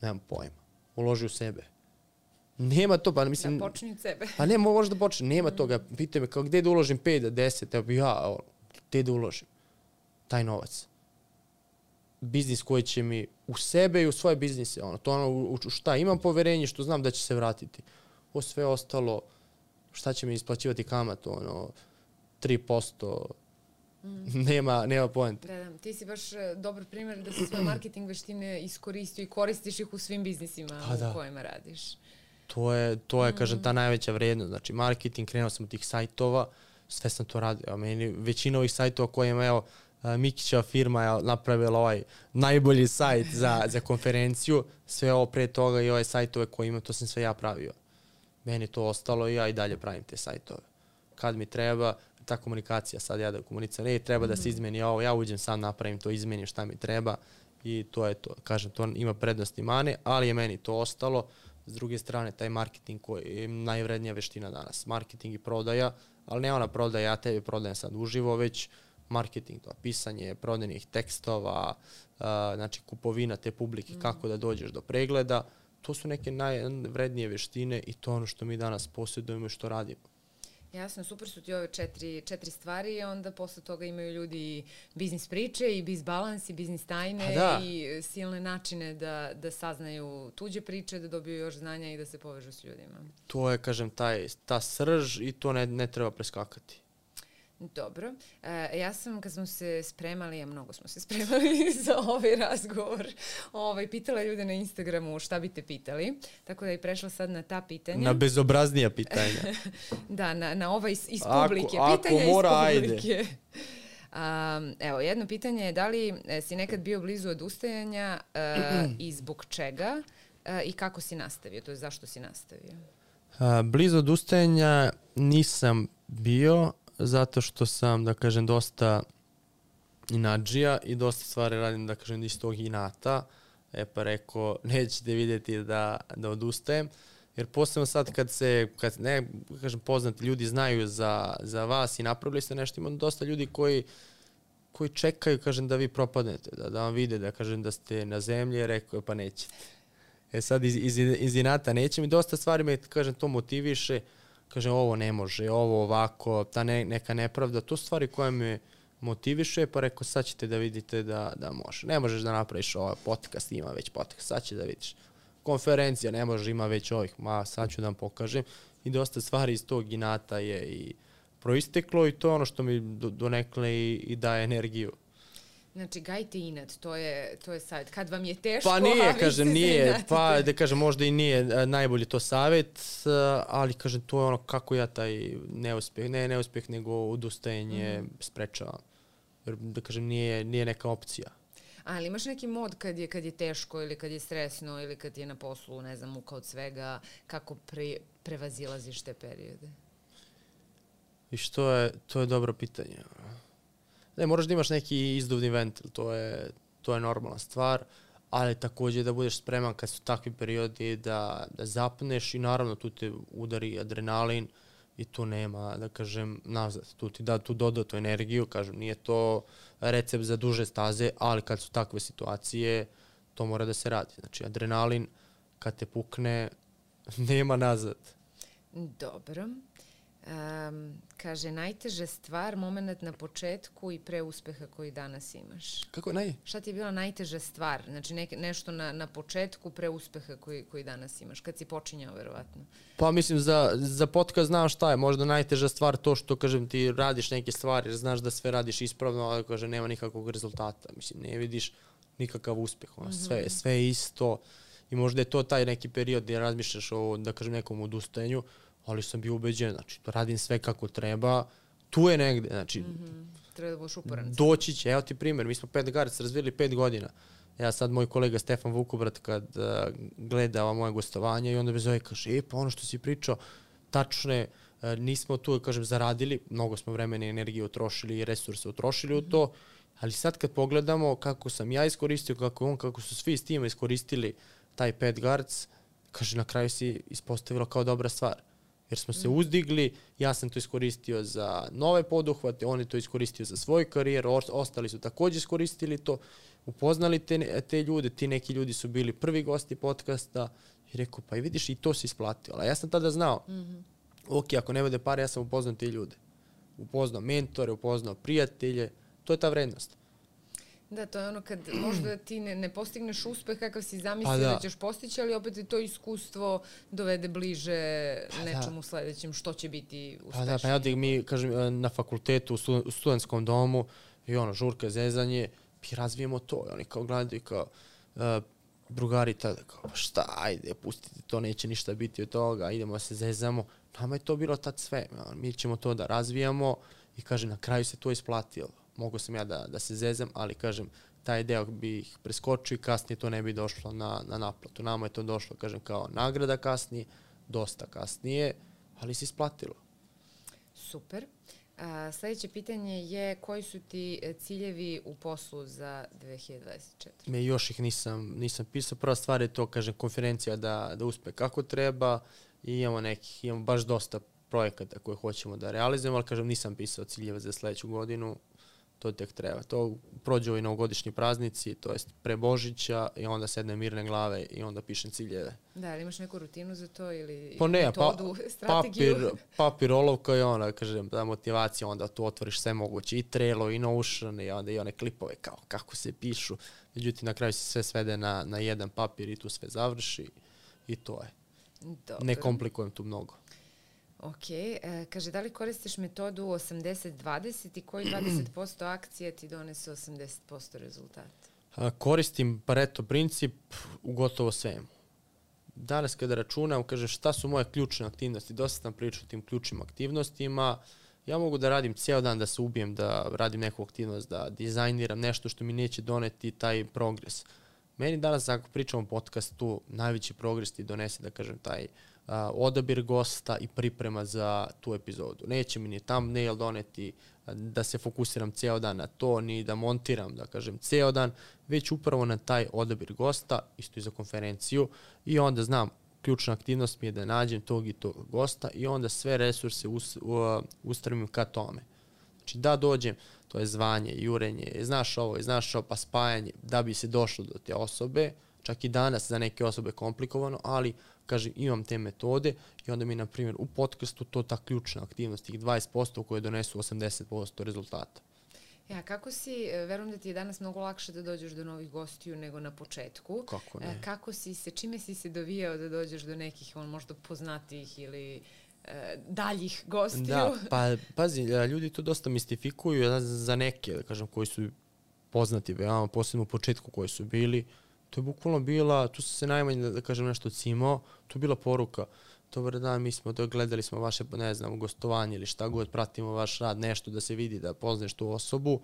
Nemam pojma. Uloži u sebe. Nema to, pa mislim... Da počni od sebe. Pa ne, možeš da počne, nema toga. Pitaj me, kao gde da uložim pet do deset, evo bi ja, evo, gde da uložim taj novac? Biznis koji će mi u sebe i u svoje biznise, ono, to ono, u šta imam poverenje, što znam da će se vratiti. O sve ostalo, šta će mi isplaćivati kamat, ono, tri posto, mm. nema, nema poente. Da, da, ti si baš dobar primjer da si svoje marketing veštine iskoristio i koristiš ih u svim biznisima pa, da. u kojima radiš. To je, to je mm. kažem, ta najveća vrednost. Znači, marketing, krenuo sam od tih sajtova, sve sam to radio. A meni većina ovih sajtova kojima, evo, Mikićeva firma je napravila ovaj najbolji sajt za, za konferenciju, sve ovo pre toga i ove sajtove koje imam, to sam sve ja pravio. Meni to ostalo i ja i dalje pravim te sajtove. Kad mi treba, ta komunikacija, sad ja da komuniciram, ne, treba mm. da se izmeni ovo, ja uđem sam, napravim to, izmenim šta mi treba i to je to. Kažem, to ima prednosti i mane, ali je meni to ostalo. S druge strane, taj marketing koji je najvrednija veština danas. Marketing i prodaja, ali ne ona prodaja, ja tebi prodajem sad uživo, već marketing, to pisanje prodajnih tekstova, uh, znači kupovina te publike, mm. kako da dođeš do pregleda. To su neke najvrednije veštine i to ono što mi danas posjedujemo i što radimo. Jasno, super su ti ove četiri, četiri stvari i onda posle toga imaju ljudi biznis priče i biz balans i biznis tajne da. i silne načine da, da saznaju tuđe priče, da dobiju još znanja i da se povežu s ljudima. To je, kažem, taj, ta srž i to ne, ne treba preskakati. Dobro. E, ja sam, kad smo se spremali, a mnogo smo se spremali za ovaj razgovor, ovaj, pitala ljude na Instagramu šta bi te pitali, tako da je prešla sad na ta pitanja. Na bezobraznija pitanja. Da, na, na ova iz, iz Ako- publike. ako Pitanja mora, iz ajde. publike. Um, evo, jedno pitanje je da li e, si nekad bio blizu odustajanja e, i zbog čega e, i kako si nastavio, to je zašto si nastavio? A, blizu odustajanja nisam bio, zato što sam, da kažem, dosta inadžija i dosta stvari radim, da kažem, iz tog inata. E pa rekao, nećete vidjeti da, da odustajem. Jer posebno sad kad se, kad ne, kažem, poznati ljudi znaju za, za vas i napravili ste nešto, ima dosta ljudi koji, koji čekaju, kažem, da vi propadnete, da, da vam vide, da kažem, da ste na zemlji, rekao, pa nećete. E sad iz, iz, iz inata neće mi, dosta stvari me, kažem, to motiviše, kažem, ovo ne može, ovo ovako, ta ne, neka nepravda, to su stvari koje me motiviše, pa rekao, sad ćete da vidite da, da može. Ne možeš da napraviš ovaj podcast, ima već podcast, sad će da vidiš. Konferencija, ne može, ima već ovih, ma sad ću da vam pokažem. I dosta stvari iz tog inata je i proisteklo i to je ono što mi do, donekle i, i daje energiju. Znači, gajte inat, to je, to je savjet. Kad vam je teško, Pa a nije, vi kažem, se nije, zainatite. pa da kažem, možda i nije a, najbolji to savjet, a, ali kažem, to je ono kako ja taj neuspjeh, ne neuspjeh, nego odustajanje mm. sprečavam. Jer, da kažem, nije, nije neka opcija. Ali imaš neki mod kad je, kad je teško ili kad je stresno ili kad je na poslu, ne znam, muka od svega, kako pre, prevazilaziš te periode? I što je, to je dobro pitanje. Ne, moraš da imaš neki izduvni ventil, to je, to je normalna stvar, ali također da budeš spreman kad su takvi periodi da, da zapneš i naravno tu te udari adrenalin i tu nema, da kažem, nazad. Tu ti da tu dodatu energiju, kažem, nije to recept za duže staze, ali kad su takve situacije, to mora da se radi. Znači, adrenalin, kad te pukne, nema nazad. Dobro. Um, kaže, najteža stvar, moment na početku i pre uspeha koji danas imaš. Kako je naj? Šta ti je bila najteža stvar? Znači nek, nešto na, na početku pre uspeha koji, koji danas imaš, kad si počinjao, verovatno. Pa mislim, za, za podcast znam šta je. Možda najteža stvar to što, kažem, ti radiš neke stvari, jer znaš da sve radiš ispravno, ali, kažem, nema nikakvog rezultata. Mislim, ne vidiš nikakav uspeh. Ono, sve, mm-hmm. sve je isto. I možda je to taj neki period gdje razmišljaš o, da kažem, nekom odustajanju, ali sam bio ubeđen, znači, to radim sve kako treba, tu je negde, znači, mm-hmm. treba da budeš uporan. Doći će, evo ti primjer, mi smo Pet Guards razvili pet godina. Ja sad, moj kolega Stefan Vukobrat, kad uh, gleda ova moje gostovanje i onda me zove, kaže, e, pa ono što si pričao, tačno je, uh, nismo tu, kažem, zaradili, mnogo smo vremena i energije utrošili i resurse utrošili mm-hmm. u to, ali sad kad pogledamo kako sam ja iskoristio, kako on, kako su svi s tima iskoristili taj Pet Guards, kaže, na kraju si ispostavilo kao dobra stvar. Jer smo se uzdigli, ja sam to iskoristio za nove poduhvate, on je to iskoristio za svoju karijeru, ostali su također iskoristili to, upoznali te, te ljude, ti neki ljudi su bili prvi gosti podcasta i rekao, pa i vidiš, i to se isplatilo. A ja sam tada znao, mm-hmm. ok, ako ne bude pare, ja sam upoznao te ljude. Upoznao mentore, upoznao prijatelje, to je ta vrednost. Da, to je ono kad možda ti ne, ne postigneš uspeh kakav si zamislio pa da. da ćeš postići, ali opet je to iskustvo dovede bliže pa nečemu da. sledećem što će biti uspešnije. Pa da, pa ja da mi, kažem, na fakultetu, u, stu, u studentskom domu, i ono, žurka, zezanje, mi razvijemo to. I oni kao gledaju kao, uh, drugari tada, kao, šta, ajde, pustite, to neće ništa biti od toga, idemo se zezamo. Nama je to bilo tad sve. Mi ćemo to da razvijamo i, kažem, na kraju se to isplatilo. Mogu sam ja da, da se zezam, ali, kažem, taj deo bih preskočio i kasnije to ne bi došlo na, na naplatu. Nama je to došlo, kažem, kao nagrada kasnije, dosta kasnije, ali se isplatilo. Super. A, sljedeće pitanje je koji su ti ciljevi u poslu za dve hiljade dvadeset četvrte. Me još ih nisam, nisam pisao. Prva stvar je to, kažem, konferencija da, da uspe kako treba i imamo nekih, imamo baš dosta projekata koje hoćemo da realizujemo, ali, kažem, nisam pisao ciljeve za sljedeću godinu. To tek treba. To prođu i novogodišnji praznici, to jest pre Božića i onda sedne mirne glave i onda pišem ciljeve. Da, ali imaš neku rutinu za to ili pa ne, metodu, pa, strategiju? Papir, papir, olovka i onda, kažem, da motivacija, onda tu otvoriš sve moguće, i Trello, i Notion, i onda i one klipove kao kako se pišu. Međutim, na kraju se sve svede na, na jedan papir i tu sve završi i to je. Dobro. Ne komplikujem tu mnogo. Ok, e, kaže, da li koristiš metodu osamdeset dvadeset i koji dvadeset posto akcije ti donese osamdeset posto rezultata? A, koristim Pareto princip u gotovo svemu. Danas kada računam, kažem šta su moje ključne aktivnosti, dosta sam pričao o tim ključnim aktivnostima, ja mogu da radim cijel dan, da se ubijem, da radim neku aktivnost, da dizajniram nešto što mi neće doneti taj progres. Meni danas, ako pričam o podcastu, najveći progres ti donese, da kažem, taj a, odabir gosta i priprema za tu epizodu. Neće mi ni thumbnail doneti, da se fokusiram cijel dan na to, ni da montiram, da kažem, cijel dan, već upravo na taj odabir gosta, isto i za konferenciju, i onda znam, ključna aktivnost mi je da nađem tog i tog gosta i onda sve resurse us, uh, ustremim ka tome. Znači da dođem, to je zvanje, jurenje, znaš ovo, znaš ovo, pa spajanje, da bi se došlo do te osobe, čak i danas za neke osobe komplikovano, ali kažem, imam te metode i onda mi, na primjer, u podcastu to ta ključna aktivnost, tih dvadeset posto koje donesu osamdeset posto rezultata. Ja, kako si, verujem da ti je danas mnogo lakše da dođeš do novih gostiju nego na početku. Kako ne? Kako si se, čime si se dovijao da dođeš do nekih, on možda poznatijih ili e, daljih gostiju? Da, pa pazi, ljudi to dosta mistifikuju za neke, da kažem, koji su poznati veoma, posebno u početku koji su bili. To je bukvalno bila, tu se najmanje, da kažem, nešto cimao, tu je bila poruka. Dobar dan, mi smo to, gledali smo vaše, ne znam, gostovanje ili šta god, pratimo vaš rad, nešto da se vidi, da poznaš tu osobu.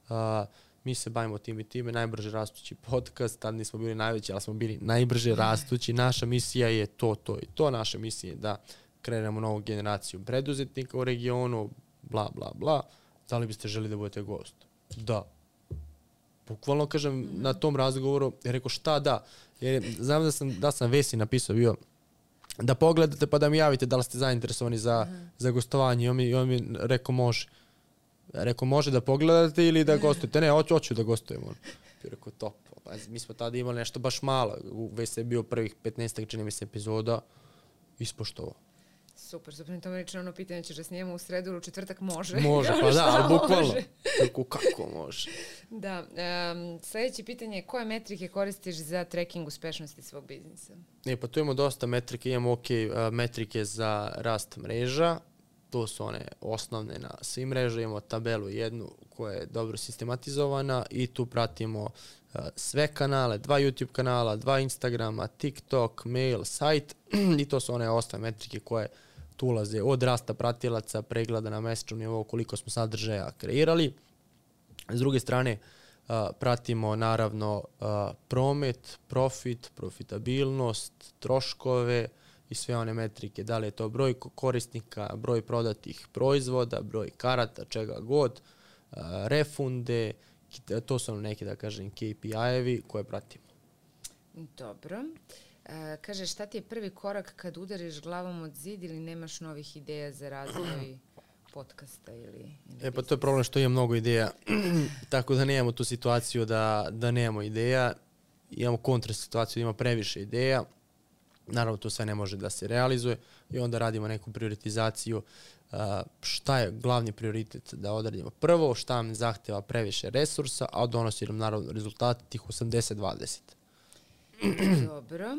Uh, mi se bavimo tim i time, najbrže rastući podcast, tad nismo bili najveći, ali smo bili najbrže rastući. Naša misija je to, to i to. Naša misija je da kreiramo novu generaciju preduzetnika u regionu, bla, bla, bla. Da li biste želi da budete gost? Da. Bukvalno, kažem, na tom razgovoru, je rekao šta da. Jer znam da sam, da sam Vesi napisao bio da pogledate pa da mi javite da li ste zainteresovani za, uh-huh. za gostovanje. I on mi, i on mi rekao može. Rekao može da pogledate ili da gostujete. Ne, hoću, hoću da gostujem. I rekao top. Pa, mi smo tada imali nešto baš malo. Već se je bio prvih petnaest čini mi se epizoda. Ispoštovao. Super, super. To mi reče ono pitanje, ćeš da snijemo u sredu ili u četvrtak? Može. Može, pa da, ali bukvalno. Kako, kako može? Da. Um, sljedeće pitanje je koje metrike koristiš za tracking uspešnosti svog biznisa? E, pa tu imamo dosta metrike. Imamo ok uh, metrike za rast mreža. To su one osnovne na svim mreža. Imamo tabelu jednu koja je dobro sistematizovana i tu pratimo uh, sve kanale, dva YouTube kanala, dva Instagrama, TikTok, mail, sajt i to su one osnovne metrike koje tu ulaze od rasta pratilaca, pregleda na mesečnom nivou, koliko smo sadržaja kreirali. S druge strane, uh, pratimo naravno uh, promet, profit, profitabilnost, troškove i sve one metrike. Da li je to broj korisnika, broj prodatih proizvoda, broj karata, čega god, uh, refunde, to su neke, da kažem, K P I-evi koje pratimo. Dobro. E, kaže, šta ti je prvi korak kad udariš glavom od zid ili nemaš novih ideja za razvoj podcasta ili, ili E pa to je problem što imam mnogo ideja, tako da nemamo tu situaciju da, da nemamo ideja. Imamo kontra situaciju da ima previše ideja. Naravno, to sve ne može da se realizuje i onda radimo neku prioritizaciju. Uh, šta je glavni prioritet da odradimo prvo, šta nam zahteva previše resursa, a donosi nam naravno rezultat tih osamdeset dvadeset. Dobro.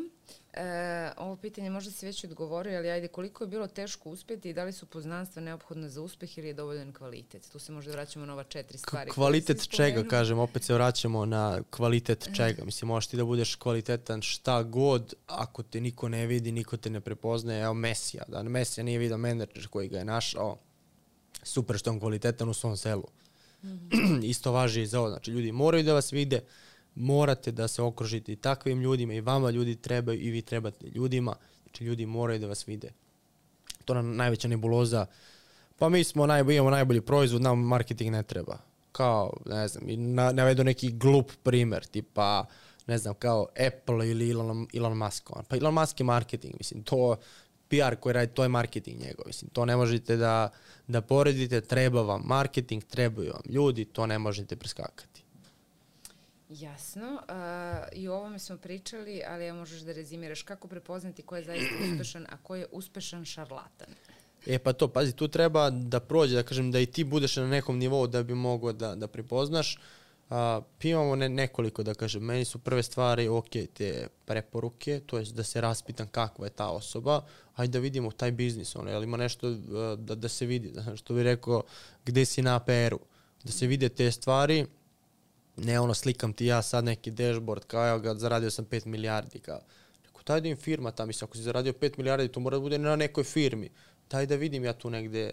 E, ovo pitanje možda si već odgovorio, ali ajde, koliko je bilo teško uspjeti i da li su poznanstva neophodna za uspjeh ili je dovoljan kvalitet? Tu se možda vraćamo na ova četiri stvari. K- kvalitet čega, kažem, opet se vraćamo na kvalitet čega. Mislim, možeš ti da budeš kvalitetan šta god, ako te niko ne vidi, niko te ne prepoznaje. Evo Mesija, da Mesija nije vidio menadžer koji ga je našao, super što je on kvalitetan u svom selu. Mm-hmm. Isto važi i za ovo. Znači, ljudi moraju da vas vide, morate da se okružite i takvim ljudima i vama ljudi trebaju i vi trebate ljudima. Znači, ljudi moraju da vas vide. To je najveća nebuloza. Pa mi smo najbolji, imamo najbolji proizvod, nam marketing ne treba. Kao, ne znam, na, navedu neki glup primer, tipa, ne znam, kao Apple ili Elon, Elon Musk. Pa Elon Musk je marketing, mislim, to P R koji radi, to je marketing njegov. Mislim, to ne možete da, da poredite, treba vam marketing, trebaju vam ljudi, to ne možete preskakati. Jasno. Uh, I o ovome smo pričali, ali ja možeš da rezimiraš kako prepoznati ko je zaista uspešan, a ko je uspešan šarlatan. E pa to, pazi, tu treba da prođe, da kažem, da i ti budeš na nekom nivou da bi mogao da, da prepoznaš. A, imamo ne, nekoliko, da kažem, meni su prve stvari, ok, te preporuke, to je da se raspitam kakva je ta osoba, ajde da vidimo taj biznis, ono, jel ima nešto da, da se vidi, da, što bi rekao, gde si na A P R-u, da se vide te stvari, ne ono, slikam ti ja sad neki dashboard, kao evo ga, zaradio sam pet milijardi, kao, rekao, daj da im firma tam, mislim, ako si zaradio pet milijardi, to mora da bude na nekoj firmi, daj da vidim ja tu negde,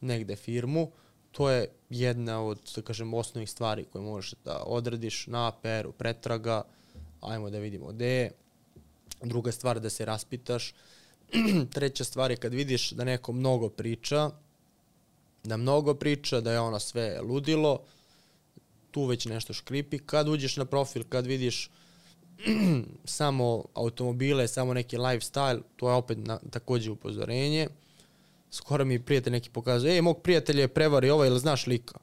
negde firmu. To je jedna od, da kažem, osnovnih stvari koje možeš da odradiš na A P R-u, pretraga, ajmo da vidimo gde je. Druga stvar da se raspitaš. Treća stvar je kad vidiš da neko mnogo priča, da mnogo priča, da je ono sve ludilo, tu već nešto škripi. Kad uđeš na profil, kad vidiš samo automobile, samo neki lifestyle, to je opet na, takođe upozorenje. Skoro mi prijatelj neki pokazuje, ej, mog prijatelja je prevari ovaj, ili znaš lika?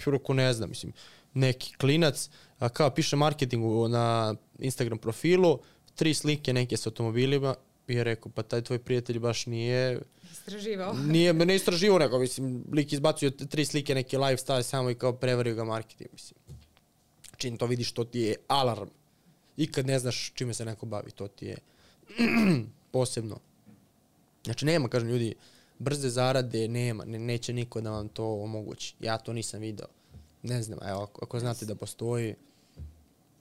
Ruku ne znam, mislim, neki klinac, a kao piše marketingu na Instagram profilu, tri slike neke s automobilima, i je rekao, pa taj tvoj prijatelj baš nije... Istraživao. Nije, ne istraživao nego, mislim, lik izbacio tri slike neki lifestyle samo i kao prevario ga marketing, mislim. Čim to vidiš, to ti je alarm. I kad ne znaš čime se neko bavi, to ti je posebno. Znači, nema, kažem ljudi, brze zarade nema, ne, neće niko da vam to omogući. Ja to nisam video. Ne znam, evo, ako, ako znate da postoji...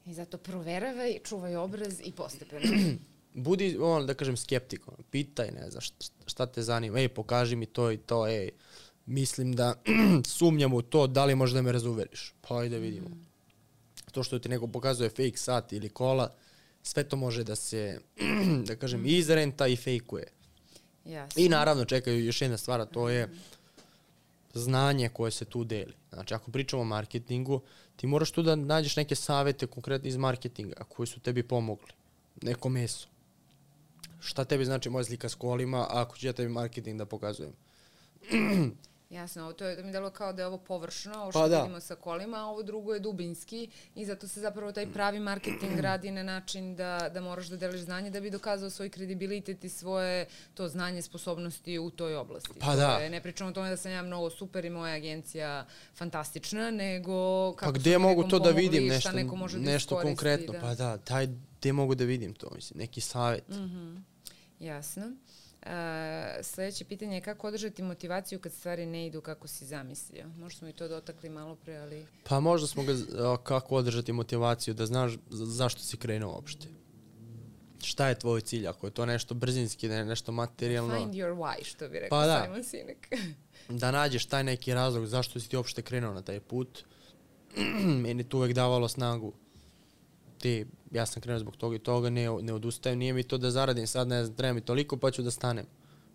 I zato proveravaj, čuvaj obraz i postepeno. Budi, on, da kažem, skeptik. On, pitaj, ne znam, šta, šta te zanima. Ej, pokaži mi to i to, ej, mislim da sumnjam u to, da li možda da me razuveriš. Pa ajde vidimo. Mm. To što ti neko pokazuje fake sat ili kola, sve to može da se, da kažem, izrenta i fejkuje. Jasno. I naravno čekaju još jedna stvar, a to je znanje koje se tu deli. Znači, ako pričamo o marketingu, ti moraš tu da nađeš neke savete konkretno iz marketinga koji su tebi pomogli. Neko meso. Šta tebi znači moja slika s kolima, ako ću ja tebi marketing da pokazujem? Jasno, to je da mi delo kao da je ovo površno, ovo pa što da. vidimo sa kolima, a ovo drugo je dubinski i zato se zapravo taj pravi marketing radi na način da, da moraš da deliš znanje da bi dokazao svoj kredibilitet i svoje to znanje, sposobnosti u toj oblasti. Pa da. Je, ne pričamo o tome da sam ja mnogo super i moja agencija fantastična, nego kako pa gde mogu to da vidim pomogli, nešto, neko može da nešto konkretno? Da. Pa da, taj, gde mogu da vidim to, mislim, neki savjet. Mm-hmm. Jasno. Uh, sledeće pitanje je kako održati motivaciju kad stvari ne idu kako si zamislio. Možda smo i to dotakli malo pre, ali... Pa možda smo ga, kako održati motivaciju, da znaš zašto si krenuo uopšte. Šta je tvoj cilj? Ako je to nešto brzinski, ne, nešto materijalno... Find your why, što bi rekao pa da. Simon Sinek. Da nađeš taj neki razlog zašto si ti uopšte krenuo na taj put. Meni tu uvek davalo snagu. Ti, ja sam krenuo zbog toga i toga, ne, ne odustajem, nije mi to da zaradim sad, ne znam, treba mi toliko pa ću da stanem.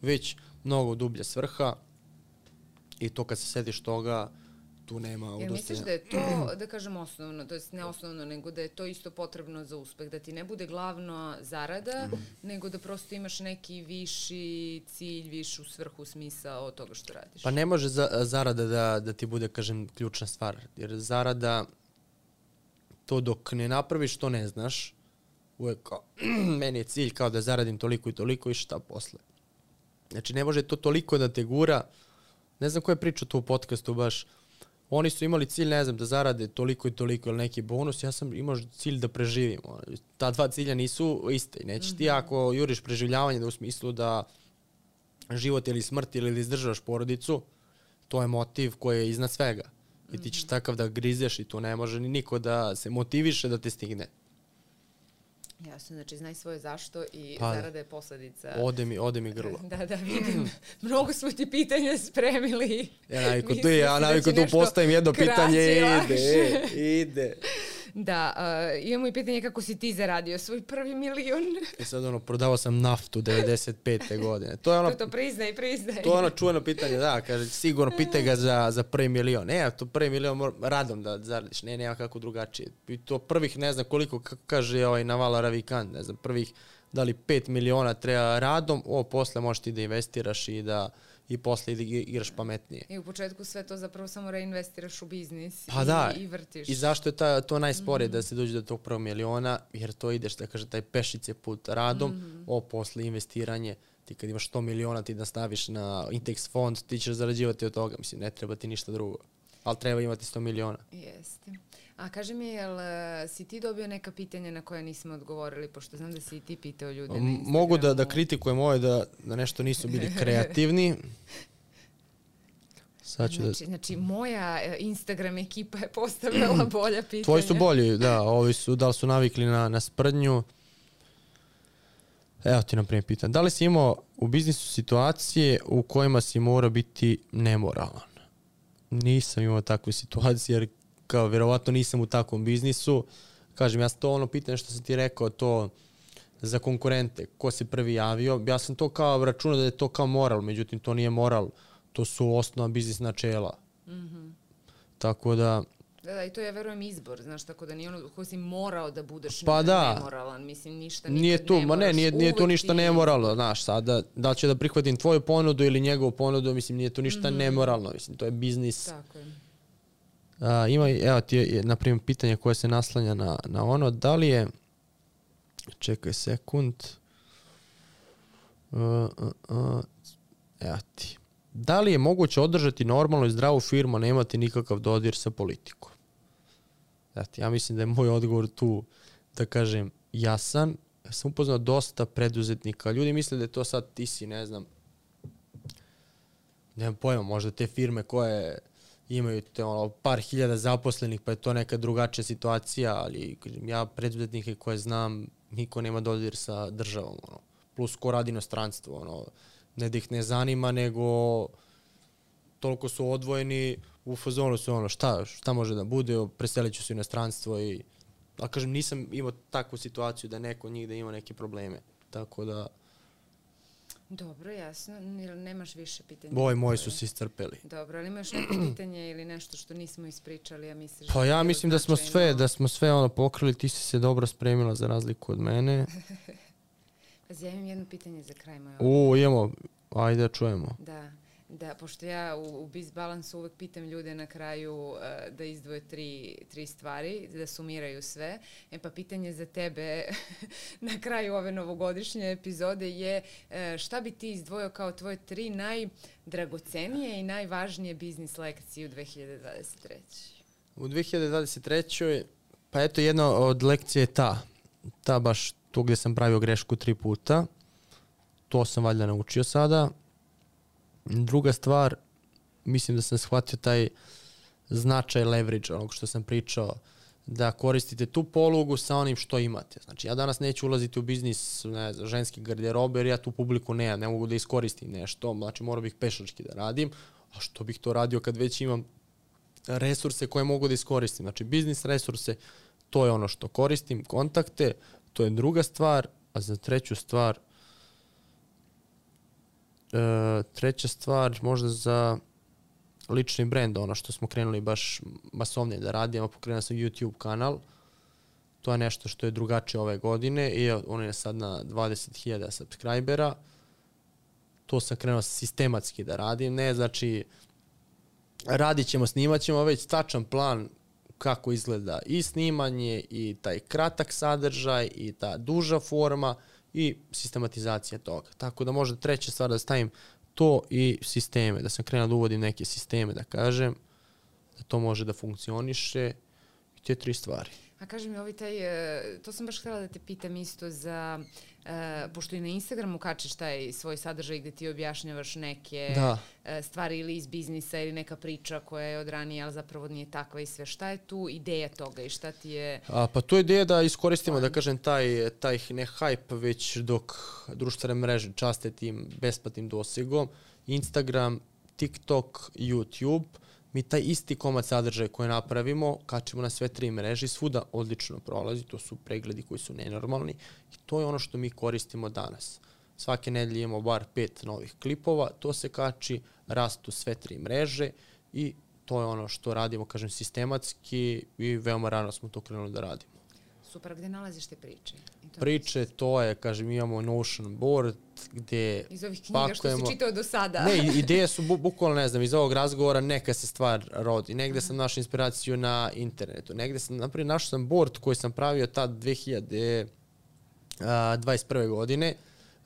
Već mnogo dublja svrha i to kad se sediš toga, tu nema odustajanja. Jer misliš da je to, da kažem osnovno, to jest ne osnovno, nego da je to isto potrebno za uspeh, da ti ne bude glavno zarada, mm. nego da prosto imaš neki viši cilj, višu svrhu, smisao od toga što radiš? Pa ne može za, zarada da, da ti bude, kažem, ključna stvar, jer zarada... To dok ne napraviš, to ne znaš. Uvijek kao, meni je cilj kao da zaradim toliko i toliko i šta posle. Znači, ne može to toliko da te gura. Ne znam ko je pričao tu u podcastu baš. Oni su imali cilj, ne znam, da zarade toliko i toliko ili neki bonus. Ja sam imao cilj da preživim. Ta dva cilja nisu iste. Nećeš mm-hmm. ti ako juriš preživljavanje da u smislu da život ili smrt ili izdržavaš porodicu, to je motiv koji je iznad svega. I ti ćeš takav da grizeš i tu ne može ni niko da se motiviše da te stigne. Jasno, znači znaj svoje zašto i pa, zarada je posledica. Ode mi, ode mi grlo. Da, da, vidim. Mnogo smo ti pitanja spremili. Ja naviku tu, ja naviku tu postavim jedno pitanje i ide, ide. Da, uh, imamo i pitanje kako si ti zaradio svoj prvi milion. I sad ono, prodavao sam naftu devedeset pete godine. To je ono, to, to priznaj, priznaj. To je ono čuveno pitanje, da, kaže, sigurno pitaj ga za, za prvi milion. Ne, to prvi milion mora, radom da zaradiš, ne, nema kako drugačije. I to prvih, ne znam koliko, kako kaže ovaj Navala Ravikant, ne znam, prvih, da li pet miliona treba radom, o, posle možeš ti da investiraš i da i posle igraš pametnije. I u početku sve to zapravo samo reinvestiraš u biznis pa i, da. i vrtiš. I zašto je ta, to najsporije mm-hmm. da se dođe do tog prvog miliona, jer to ideš, da kaže, taj pešice put radom, mm-hmm. o, posle investiranje, ti kad imaš sto miliona ti da staviš na Intex fond, ti ćeš zarađivati od toga, mislim, ne treba ti ništa drugo. Ali treba imati sto miliona. Jeste. A kaži mi, jel uh, si ti dobio neka pitanja na koje nismo odgovorili, pošto znam da si i ti pitao ljude na Instagramu. Mogu da, da kritikujem ovo da, da nešto nisu bili kreativni. Sad ću znači, da... znači, moja Instagram ekipa je postavila bolja pitanja. Tvoji su bolji, da. Ovi su, da li su navikli na, na sprdnju. Evo ti naprimjer pitan. Da li si imao u biznisu situacije u kojima si mora biti nemoralan? Nisam imao takve situacije jer kao vjerovatno nisam u takvom biznisu. Kažem, ja sam to ono pitanje što sam ti rekao, to za konkurente, ko se prvi javio. Ja sam to kao računao da je to kao moral, međutim to nije moral. To su osnova biznis načela. Mm-hmm. Tako da... Da, da, i to je, verujem, izbor, znaš, tako da nije ono ko si morao da budeš pa da. nemoralan, mislim, ništa nije tu, ne ma ne, nije, nije tu ništa ti... nemoralno, znaš, sada, da li će da prihvatim tvoju ponudu ili njegovu ponudu, mislim, nije tu ništa mm-hmm. nemoralno, mislim, to je biznis. Tako je. A, ima, evo ti je, na primjer, pitanje koje se naslanja na, na ono, da li je, čekaj sekund, uh, uh, uh, evo ti, da li je moguće održati normalnu i zdravu firmu, a nemati nikakav dodir sa politikom? Znači, ja mislim da je moj odgovor tu, da kažem, jasan. Ja sam upoznao dosta preduzetnika. Ljudi misle da je to sad, ti si, ne znam, nemam pojma, možda te firme koje imaju te, ono, par hiljada zaposlenih, pa je to neka drugačija situacija, ali kažem, ja preduzetnike koje znam, niko nema dodir sa državom. Ono. Plus ko radi inostranstvo, ono, ne da ih ne zanima, nego toliko su odvojeni, u fazonu su ono, šta, šta može da bude, preselit ću se u inostranstvo i, a kažem, nisam imao takvu situaciju da neko od njih da ima neke probleme, tako da... Dobro, jasno, nemaš više pitanja. Ovi moji su se iscrpeli. Dobro, ali imaš neko pitanje ili nešto što nismo ispričali, ja misliš... Pa ja mislim da smo sve, da smo sve ono pokrili, ti si se dobro spremila za razliku od mene. Pazi, ja imam jedno pitanje za kraj moje. U, imamo, ajde da čujemo. Da, da, pošto ja u, u BizBalansu uvek pitam ljude na kraju uh, da izdvoje tri, tri stvari, da sumiraju sve. E pa pitanje za tebe na kraju ove novogodišnje epizode je uh, šta bi ti izdvojio kao tvoje tri najdragocenije i najvažnije biznis lekcije u dve hiljade dvadeset trećoj. U dve hiljade dvadeset trećoj pa eto jedna od lekcija je ta, ta baš tu gdje sam pravio grešku tri puta. To sam valjda naučio sada. Druga stvar, mislim da sam shvatio taj značaj leverage, onog što sam pričao, da koristite tu polugu sa onim što imate. Znači, ja danas neću ulaziti u biznis, ne znam, ženski garderobe, jer ja tu publiku nemam, ne mogu da iskoristim nešto, znači morao bih pešački da radim, a što bih to radio kad već imam resurse koje mogu da iskoristim. Znači, biznis resurse, to je ono što koristim, kontakte, to je druga stvar, a za treću stvar, e, treća stvar možda za lični brend, ono što smo krenuli baš masovnije da radimo, pokrenuo sam YouTube kanal, to je nešto što je drugačije ove godine i on je sad na dvadeset hiljada subscribera, to sam krenuo sistematski da radim, ne znači radit ćemo, snimat ćemo već tačan plan kako izgleda i snimanje i taj kratak sadržaj i ta duža forma i sistematizacija toga. Tako da možda treća stvar da stavim to i sisteme, da sam krenuo da uvodim neke sisteme, da kažem, da to može da funkcioniše i te tri stvari. A kaži mi, ovi taj, to sam baš htjela da te pitam isto za, uh, pošto i na Instagramu kačeš taj svoj sadržaj gdje ti objašnjavaš neke da. stvari ili iz biznisa ili neka priča koja je od ranije, ali zapravo nije takva i sve. Šta je tu ideja toga i šta ti je... A, pa tu je ideja da iskoristimo, da kažem, taj, taj ne hype, već dok društvene mreže časte tim besplatnim dosegom, Instagram, TikTok, YouTube, mi taj isti komad sadržaja koji napravimo, kačemo na sve tri mreže i svuda odlično prolazi, to su pregledi koji su nenormalni i to je ono što mi koristimo danas. Svake nedelje imamo bar pet novih klipova, to se kači, rastu sve tri mreže i to je ono što radimo, kažem, sistematski i veoma rano smo to krenuli da radimo. Super, gde nalaziš te priče? To priče, to je, kažem, imamo Notion board gde iz ovih knjiga pakujemo, što si čitao do sada. Ne, ideje su bu, bukvalno, ne znam, iz ovog razgovora neka se stvar rodi. Negde sam našao inspiraciju na internetu. Negde sam, naprijed, našao sam board koji sam pravio tad dve hiljade dvadeset prve godine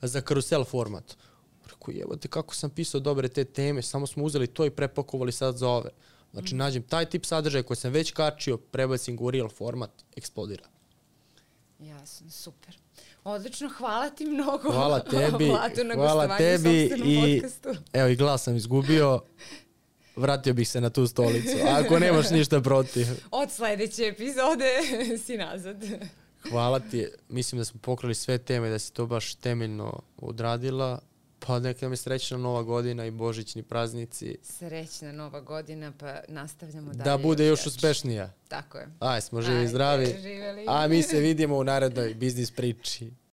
za karusel format. Rekao, jebote, kako sam pisao dobre te teme, samo smo uzeli to i prepakovali sad za ove. Znači, nađem taj tip sadržaja koji sam već kačio, prebacim ga u real format, eksplodira. Jasno, super. Odlično, hvala ti mnogo. Hvala tebi, Vlado, na hvala gostovanju u tebi sopstvenom i podcastu. evo i glas sam izgubio, vratio bih se na tu stolicu, ako nemaš ništa protiv. Od sledeće epizode si nazad. Hvala ti, mislim da smo pokrili sve teme, da si to baš temeljno odradila, pa neka nam je srećna nova godina i božićni praznici. Srećna nova godina, pa nastavljamo dalje. Da bude još jače. uspešnija. Tako je. Aj, smo živi i Ajde, zdravi. živeli. A mi se vidimo u narednoj biznis priči.